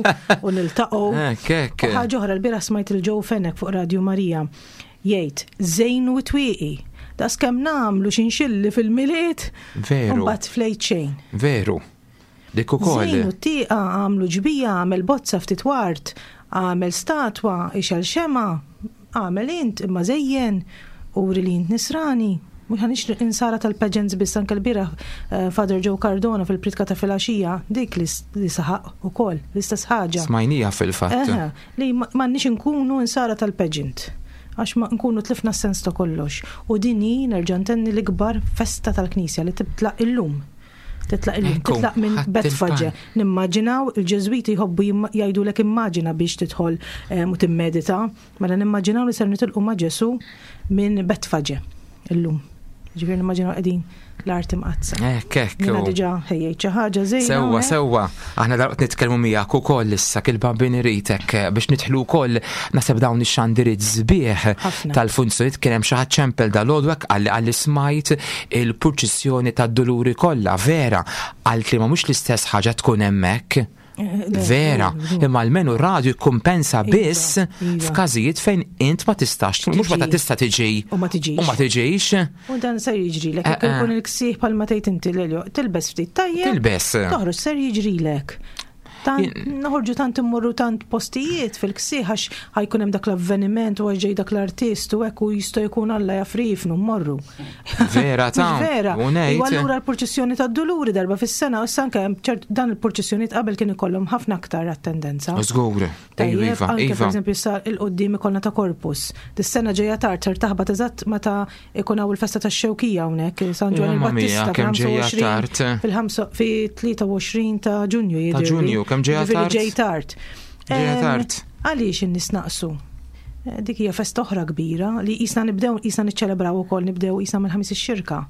u niltaqgħu. Hekk, hekk. U ħaġa oħra, l-bieraħ smajt il-Joe Fenech fuq Radio Marija jgħid żejnu t-twieqi. Daqs kemm nagħmlu xinxilli fil-Milied, Veru. u mbagħad fl-Għid xejn. Veru. Dik ukoll. Żejnu t-tieqa, għamlu ġbija, għamel bozza ftit ward, għamel statwa, ixgħel xemgħa, għamel int, imma żejjen, uri li int nisrani. Mhux ħanix insara tal-pageants biss, anke l-bieraħ eh, Father Joe Cardona fil-pritka ta' filgħaxija, dik li s- li saħaq ukoll, l-istess ħaġa. Smajnija fil-fatt. Eħe, li ma- m'għandniex inkunu insara tal-pageant. Għax ma nkunu tlifna s-sens ta' kollox. U din hi nerġa' ntenni l-ikbar festa tal-Knisja li titlaq illum. Titlaq illum, Ekku, titlaq minn ħadd Betfaġe. il-pan. Nimmaġinaw, il-Ġeżwiti jħobbu jimma- jgħidulek immaġina biex tidħol eh, u timmedita. Mela nimmaġinaw li ser nitilqu ma' Ġesu minn Betfaġe illum. Ġifieri nimmaġinaw qegħdin l-Art Imqaddsa. Hekk, hekk. Jiena diġà ħejjejt xi ħaġa żejna. Sewwa, hawnhekk. sewwa. Aħna dalwaqt nitkellmu miegħek ukoll issa kil-Bambin iritek eh, biex nidħlu wkoll naħseb dawn ix-xandiriet sbieħ Ħafna. tal-funzjonijiet. Kien hemm xi ħadd ċempel dal-għodu hekk qalli qalli smajt il-purċissjoni tad-Duluri kollha, vera, qalt li ma mhux l-istess ħaġa tkun hemmhekk. Eh, le, Vera, le, imma almenu radio jikkumpensa Iva, biss iva. f'każijiet fejn int ma tistax, mhux meta Tiġi. tista' tiġi U ma tiġix. u ma tiġix. U dan ser jiġrilek, jekk Eh, eh. ikun il-ksieħ bħalma tgħid inti Lelio, tilbes ftit tajjeb. Tilbes. Toħroġ ser jiġrilek. Tant, noħorġu tant immorru tant postijiet fil-ksieħ għax ħa jkun hemm dak l-avveniment u għax ġej dak l-artist u hekk u jista' jkun Alla jafrifnu mmorru. Vera ta' Mhux vera. u ngħid- U allura l-purċissjoni tad-Duluri darba fis-sena u issa anke hemm ċert dan il-purċissjonijiet qabel kien ikollhom ħafna aktar attendenza. Żgur, Tajjeb, iva, anke iva. per eżempju sa il-qoddim ikollna ta' Corpus. Dis-sena ġejja tard ser taħbat eżatt meta ikun hawn il-festa tax-Xewkija hawnhekk San Ġwann Mamma mia, il-Battista kemm ġejja fil-ħamsa u għoxrin tard. fil-ħamsa fi tlieta u għoxrin ta' Ġunju Ta' jidhirli. Ġunju, kemm ġejja Ġifieri tard? ġej tard. Ġejja Em, tard. Għaliex in-nies naqsu? Eh, Dik hija festa oħra kbira li qisna nibdew qisna niċċelebraw ukoll nibdew qisna mill-Ħamis ix-Xirka.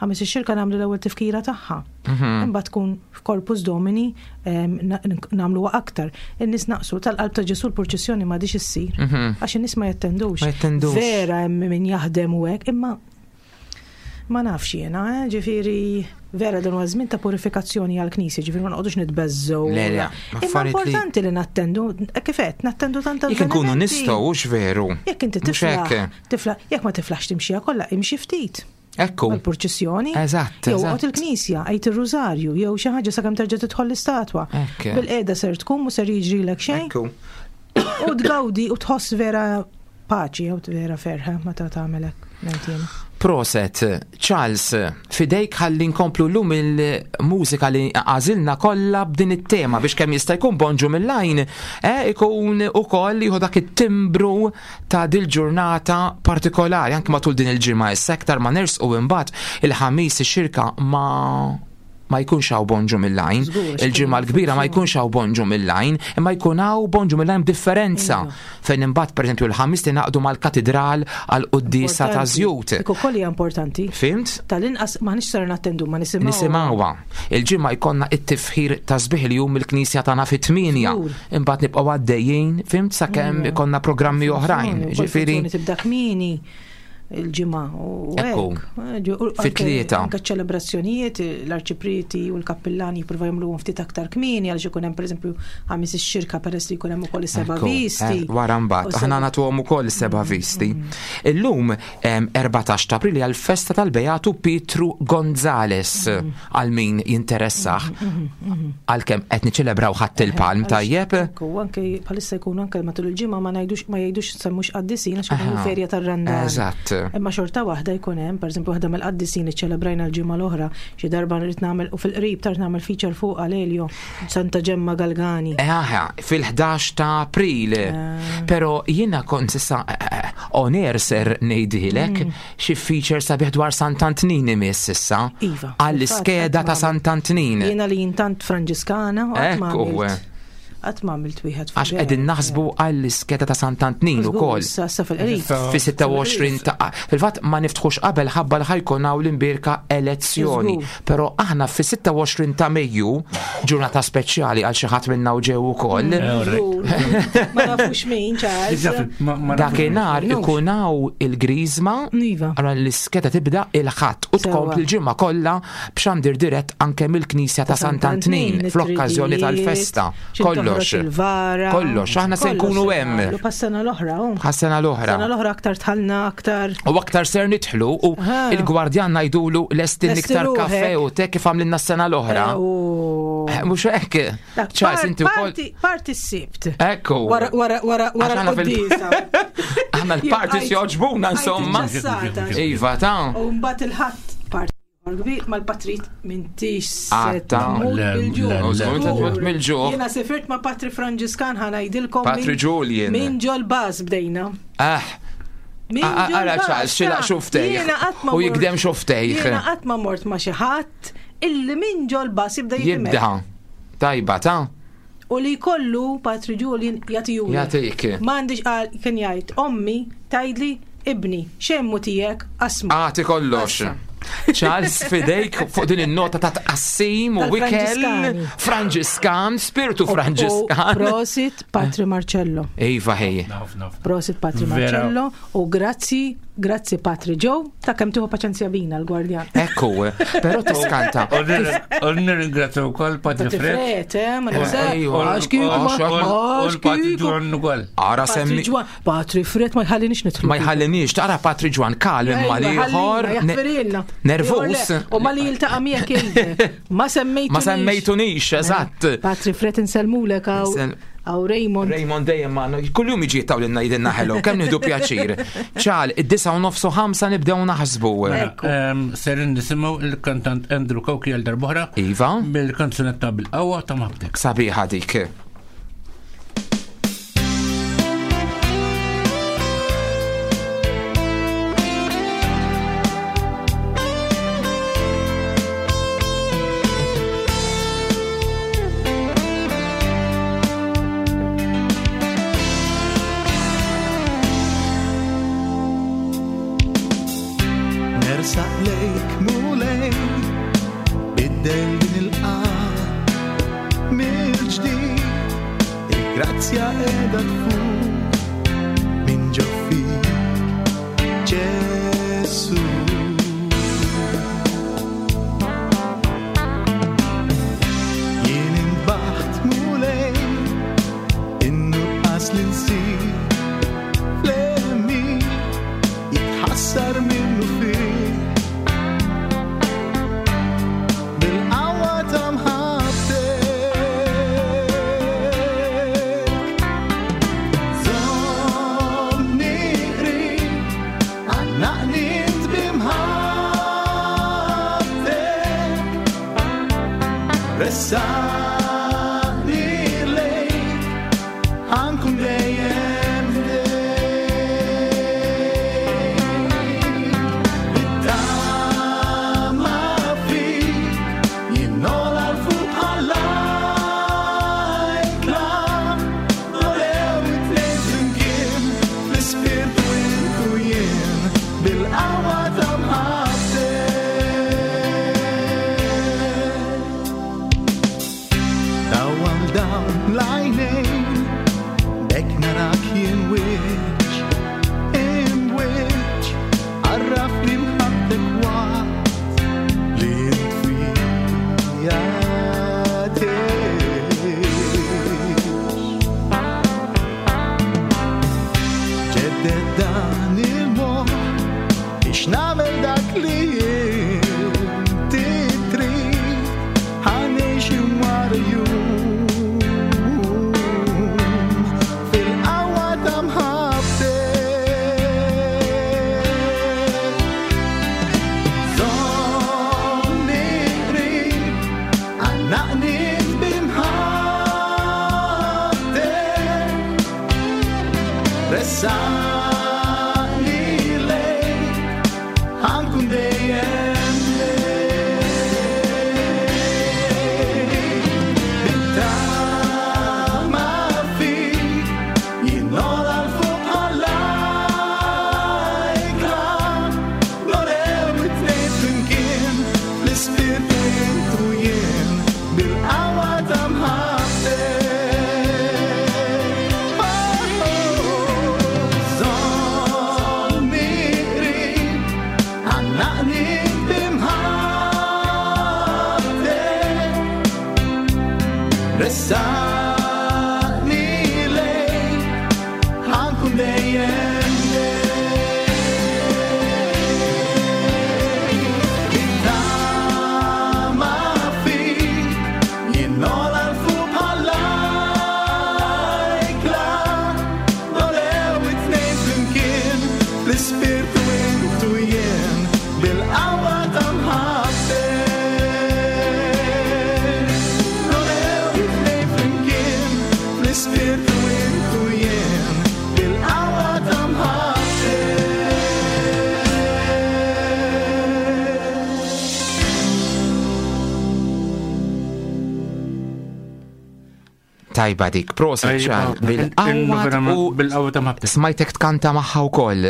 Ħamis ix-Xirka nagħmlu l-ewwel tifkira tagħha. Mhm. Imbagħad tkun f'Corpus Domini em, na- nagħmluha aktar. In-nies naqsu tal-qalb ta' Ġesu l-purċissjoni m'għadix issir. Mhm. Għax in-nies ma jattendux. Ma jattendux. Vera hemm min jaħdem u hekk, imma ma nafx jiena, eh, ġifieri vera dan huwa żmien ta' purifikazzjoni għall-Knisja, ġifieri ma noqogħdux nitbeżżgħu. Le, le, Imma affarijiet li- importanti li nattendu, kif qed, nattendu tant Jekk nkunu avvenimenti. nistgħu, hux veru. Jekk inti Mhux tiflaħ, hekk. tiflaħ, jekk ma tiflaħx timxija kollha, imxi ftit. Ekku. Għal-purċissjoni. Eżatt, Jew eżatt. għot il-knisja, għajt il-rużarju, jew xi ħaġa sakemm terġa' tidħol l-istatwa. Ekk. Bil-qeda ser tkun u ser jiġrilek xejn. Ekku. U tgawdi u tħoss vera paċi jew vera ferħa meta tagħmel hekk. ngħid jiena. Proset, Charles, fidejk ħalli nkomplu llum il-mużika li għażilna kollha b'din it-tema biex kemm jista' jkun Bonġu mill-Għajn, eh, ikun ukoll jieħu dak it-timbru ta' dil-ġurnata partikolari anke matul din il-ġimgħa issa aktar ma nersqu imbagħad il-Ħamis ix-Xirka ma ma jkunx hawn Bonġu mill-Għajn. Il-ġimgħa l-kbira ma jkunx hawn Bonġu mill-Għajn, imma jkun hawn Bonġu mill-Għajn b'differenza. Fejn imbagħad pereżempju l-Ħamis tingħaqdu mal-katedral għal quddiesa ta' Importanti. żjut. Dik ukoll hija importanti. Fimt? Tal-inqas maħniex ser nattendu ma nisimgħu. Nisimgħuha. Il-ġimgħa jkollna it-tifħir ta' sbieħ li jum il-knisja tagħna fit-tminja. Imbagħad nibqgħu għaddejjin, fimt, sakemm ikollna programmi oħrajn. Ġifieri Tibda kmieni il-ġimgħa u Ekku. hekk. Eh, ġu- u anke- Fit-tlieta. Anke ċelebrazzjonijiet, l-arċiprieti u l-kappillani jippruvaw jagħmluhom ftit aktar kmieni għaliex ikun hemm pereżempju Ħamis ix-Xirka peress li jkun hemm ukoll is-seba' Ekku, visti. eh, Wara mbagħad, U aħna seba' nagħtuhom ukoll seba' visti. Illum em, erbatax ta' April hija l-festa tal-Beatu Pietru Gonzales għal min jinteressah għalkemm qed niċċelebraw Ħadd il-Palm tajjeb. Ekku, anke bħalissa jkunu anke matul il-ġimgħa ma ngħidux ma jgħidux semmux qaddisin għax ikunu Aha. ferja tar-Randan. Eżatt. Imma xorta waħda jkun hemm, pereżempju waħda mill-qaddisin li ċelebrajna l-ġimgħa l-oħra, xi darba nrid nagħmel u fil-qrib tard nagħmel feature fuq Alelio, Santa Ġemma Galgani. Aha, fil-ħdax ta' April. Eh. Pero jiena kont sissa eh, eh, on air ser ngħidilek Mm. xi feature sabiħ dwar Sant'Antnin imiss issa. Iva. Għall-iskeda ta' Sant'Antnin. Jiena li jintant Franġiskana, u qatt ma Ekku. għamilt- qatt ma għamilt wieħed fuq Għax qegħdin naħsbu għall-iskeda ta' Sant'Antnin Żgur, ukoll. issa- issa fil-qrib. Fi sitta u għoxrin ta' fil-fatt ma niftħux qabel ħabba li ħajkun hawn l-imbirka elezzjoni. Żgur. Però aħna fi sitta u għoxrin ta' Mejju, ġurnata speċjali għal xi ħadd minna u ġew ukoll. Żgur. Ma nafux min, Charles. Dakinhar ikun hawn il-griżma, allura l-iskeda tibda il-Ħadd u tkompli l-ġimgħa kollha b'xandir dirett anke mill-Knisja ta' Sant'Antnin fl-okkażjoni tal-festa. Kollox. Il-vara. Kollox, aħna se nkunu hemm. Pas-sena l-oħra, oh. Ħas-sena l-oħra. Sena l-oħra aktar tħallna aktar. U aktar ser nidħlu u Aha. il-gwardjan ngħidulu lestin Lesti iktar ruħek. kafe u te kif għamlilna s-sena l-oħra. Eh, Eh, Mhux hekk. Dak, Charles, par- inti wkoll. Parti, parti s-sibt. Ekku. Wara, wara, wara, wara Għax aħna fil- l-qoddisa. Aħna l-parties Jien joġbuna insomma. ġassata. Iva ta' U mbagħad il-Ħadd parti kbir mal-patrit m'intix se Għatta. tmut Le, bil-ġuħ. le, le. Żgur tmut mill-ġuħ. Jiena sifirt ma' Patri Franġiskan ħa ngħidilkom. Patri min- Julian. Min ġol baż bdejna. Ah. Min Ah, ġol Ara baż, Charles, xilaq ta' xuftejh. Jiena qatt ma U mort- jikdem xuftejh. Jiena qatt ma mort ma' xi ħadd illi min ġol baż jibda jikdem. Jibda. Tajba ta' U li kollu Patri Julian jagħtijuli. Jagħtik. M'għandix qal kien jgħid ommi tgħidli ibni xemmu tiegħek asma. Għati kollox. Charles, fidejk fuq din il-nota ta' tqassim u wikel Tal-Franġiskani. Franġiskan, spiritu U Franġiskan. Prosit Patri Marcello. Iva ħej. Prosit Patri Vera. Marcello u grazzi, grazzi Patri Joe ta' kemm tieħu paċenzja bina l-gwardjan. Ekku, però tiskanta. U nirringrazzja wkoll Patri Patri Fred. Fred, eh, ma ninsek. Ejwa. Għax kieku ma- Għax U għax l-Patri kieku. Ġwan ukoll. Ara Patri semmi. Ġwan, Patri Fred ma jħallinix nidħlu. Ma jħallinix, tara Patri Ġwan kalm Ejwa, ma liħor. ħallina, jaħfirilna. Nervus. U ma li jiltaqa' miegħek jgħidlek. Ma semmejtunix. Ma semmejtunix, eżatt. Patri Fred insellmulek għaw Insel- għaw Raymond. Raymond dejjem ma kull jum jiġi jittawlilna jidinna hello, kemm nieħdu pjaċir. Ċal, id-disa u nofsu ħamsa nibdew naħsbu. Em, Serin nisimgħu il-kantant Andrew Cauchi għal darb'oħra. Iva. Bil-kanzunetta bil-qawwa ta' Mabtek. Sabiħa dik. Nersaq lejk mulej Il-grazzja qiegħda tfur minn ġo fik, Ġesu. Jien imbaħt Mulej, in-nuqqas li nsir fl-għemil jitħassar minnu fih. Bil-qawwa ta' mħabbtek żommni qrib, għannaqni int b'imħabbtek, ressaqni lejk, ħa nkun dejjem ħdejk. Bit-tama fik jien nogħla 'l fuq bħall-ajkla, nolew it-tnejn flimkien, fl-ispirtu int u jien, bil-qawwa ta' mħabbtek. Dawwal dawn l-għajnejn, b'hekk narak jien wiċċ imwiċċ, għarrafni mħabbtek waqt li int fija tgħix. Ġedded dan il-moħħ biex nagħmel dak li inti trid, ħa ngħix jum wara jum fil-qawwa ta' mħabbtek. Żommni qrib, għannaqni b'imħabbtek, ressaqni lejk, ħa nkun dejjem lejk. Bit-tama fik jien nogħla 'l fuq bħall-ajkla, nolew it-tnejn flimkien, fl-ispirtu int u jien, bil-qawwa ta' mħabbtek. Żommni qrib, għannaqni b'imħabbtek, ressaqni lejk, ħa nkun dejjem lejk. Bit-tama fik jien nogħla 'l fuq bħall-ajkla, nolew it-tnejn flimkien, fl-ispirtu int u jien, bil-qawwa ta' mħabbtek. Nolew it-tnejn flimkien, fl-ispirtu int u jien, bil-qawwa ta' mħabbtek. Tajba dik, proset ċar, bil-qawwa u bil-qawwa ta' mħabbtek. Smajtek tkanta magħha wkoll.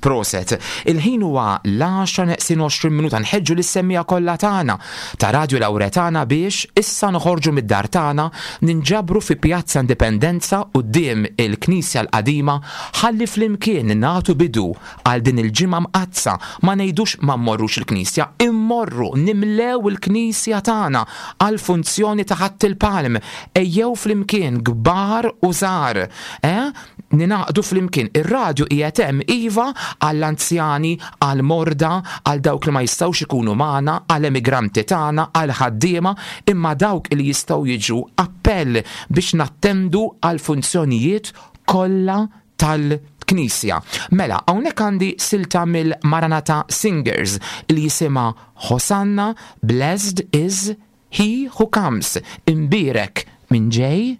Proset. Il-ħin huwa l-għaxra neqsin għoxrin minuta, nħeġġu lis-semmiegħa kollha tagħna ta' Radio Lauretana biex issa noħorġu mid-dar tagħna, ninġabru fi Pjazza Indipendenza quddiem il-Knisja l-Qadima ħalli flimkien nagħtu bidu għal din il-ġimgħa mqaddsa. Ma ngħidux ma mmorrux il-Knisja, immorru nimlew il-Knisja tagħna għal funzjoni ta' Ħadd il-Palm. Ejjew flimkien kbar u żgħar, eh? Ninaqdu flimkien. Ir-radju qiegħed hemm iva għall-anzjani, għall-morda, għal dawk li ma jistgħux ikunu magħna, għall-emigranti tagħna, għall-ħaddiema, imma dawk li jistgħu jiġu appell biex nattendu għal funzjonijiet kollha tal-Knisja. Mela, hawnhekk għandi silta mill-Maranatha Singers li jisimha Hosanna, Blessed is He Who Comes, imbierek minn ġej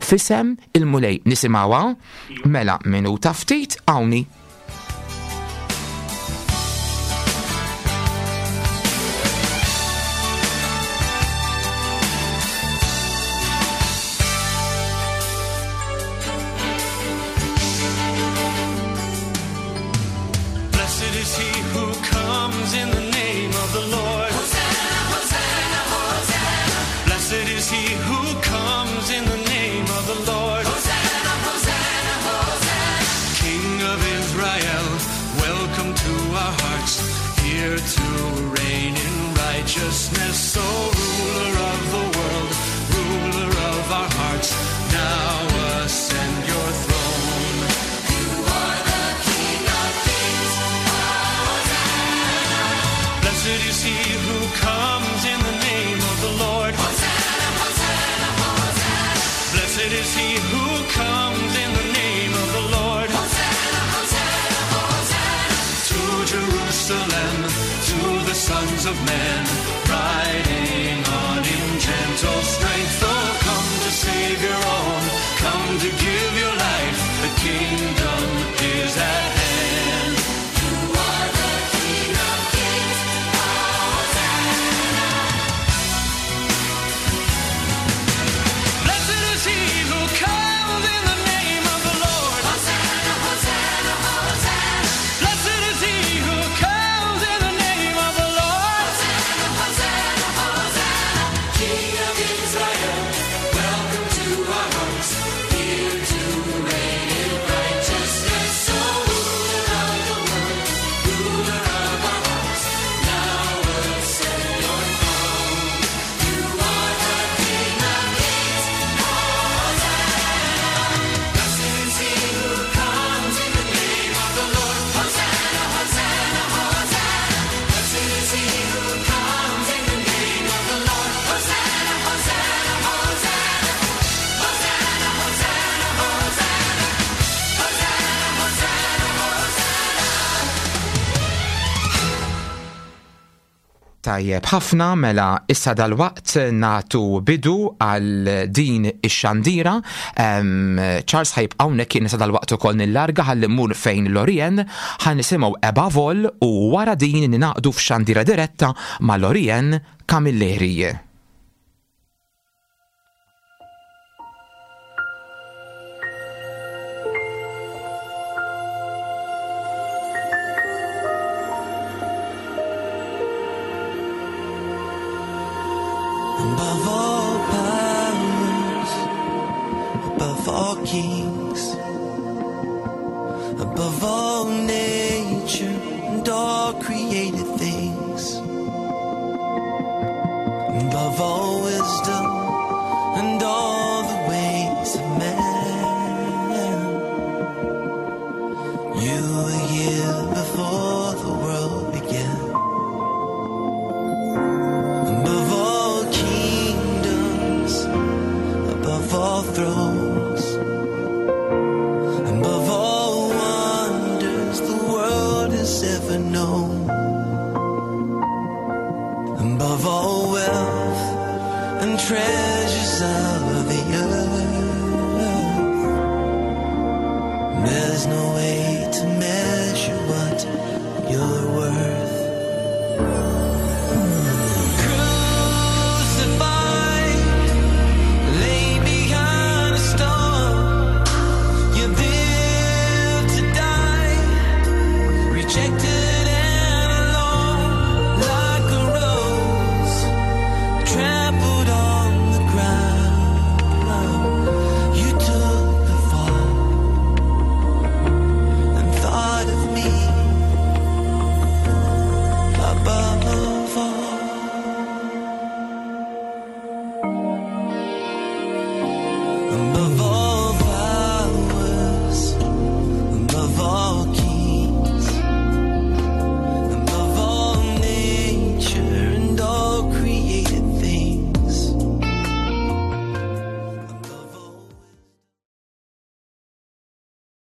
f'isem il-Mulej. Nisimgħuha? Mela, minuta ftit hawnni. Blessed is he who comes in the name of the Lord. Hosanna, Hosanna, Hosanna. Blessed is he who comes in the name of the Lord. Hosanna, Blessed is he who comes in the name of the Lord. Hosanna, Hosanna, Hosanna. To Jerusalem, to the sons of men, riding on in gentle strength. Oh, come to save your own, come to give your life. The kingdom is at hand. You are the King of Kings. Hosanna. Blessed is he who comes in the name of the Lord. Hosanna, Hosanna, Hosanna. Blessed is he who comes in the name of the Lord. Hosanna, Hosanna, Hosanna. King of Israel, welcome to our hearts. Here to reign in righteousness. So ruler of the world, ruler of our hearts, now ascend your throne. You are the King of Kings. Hosanna. Blessed is he who comes in the name of the Lord. Hosanna, Hosanna, Hosanna. Blessed is he who comes in the name of the Lord. Hosanna, Hosanna, Hosanna. Hosanna, Hosanna, Hosanna. Hosanna, Hosanna, Hosanna. Tajjeb, ħafna mela issa dal-waqt natu bidu għal din ix-xandira. Em, Charles ħajb hawnhekk kien issa dal-waqt ukoll nillarga ħalli mmur fejn Lorien ħa nisimgħu Above All u wara din ninaqdu f'xandira diretta ma' Lorien Camilleri. Above all powers, above all kings, above all nature and all created things, above all wisdom and all the ways of man, you were here before the world began. Above all kingdoms, above all thrones,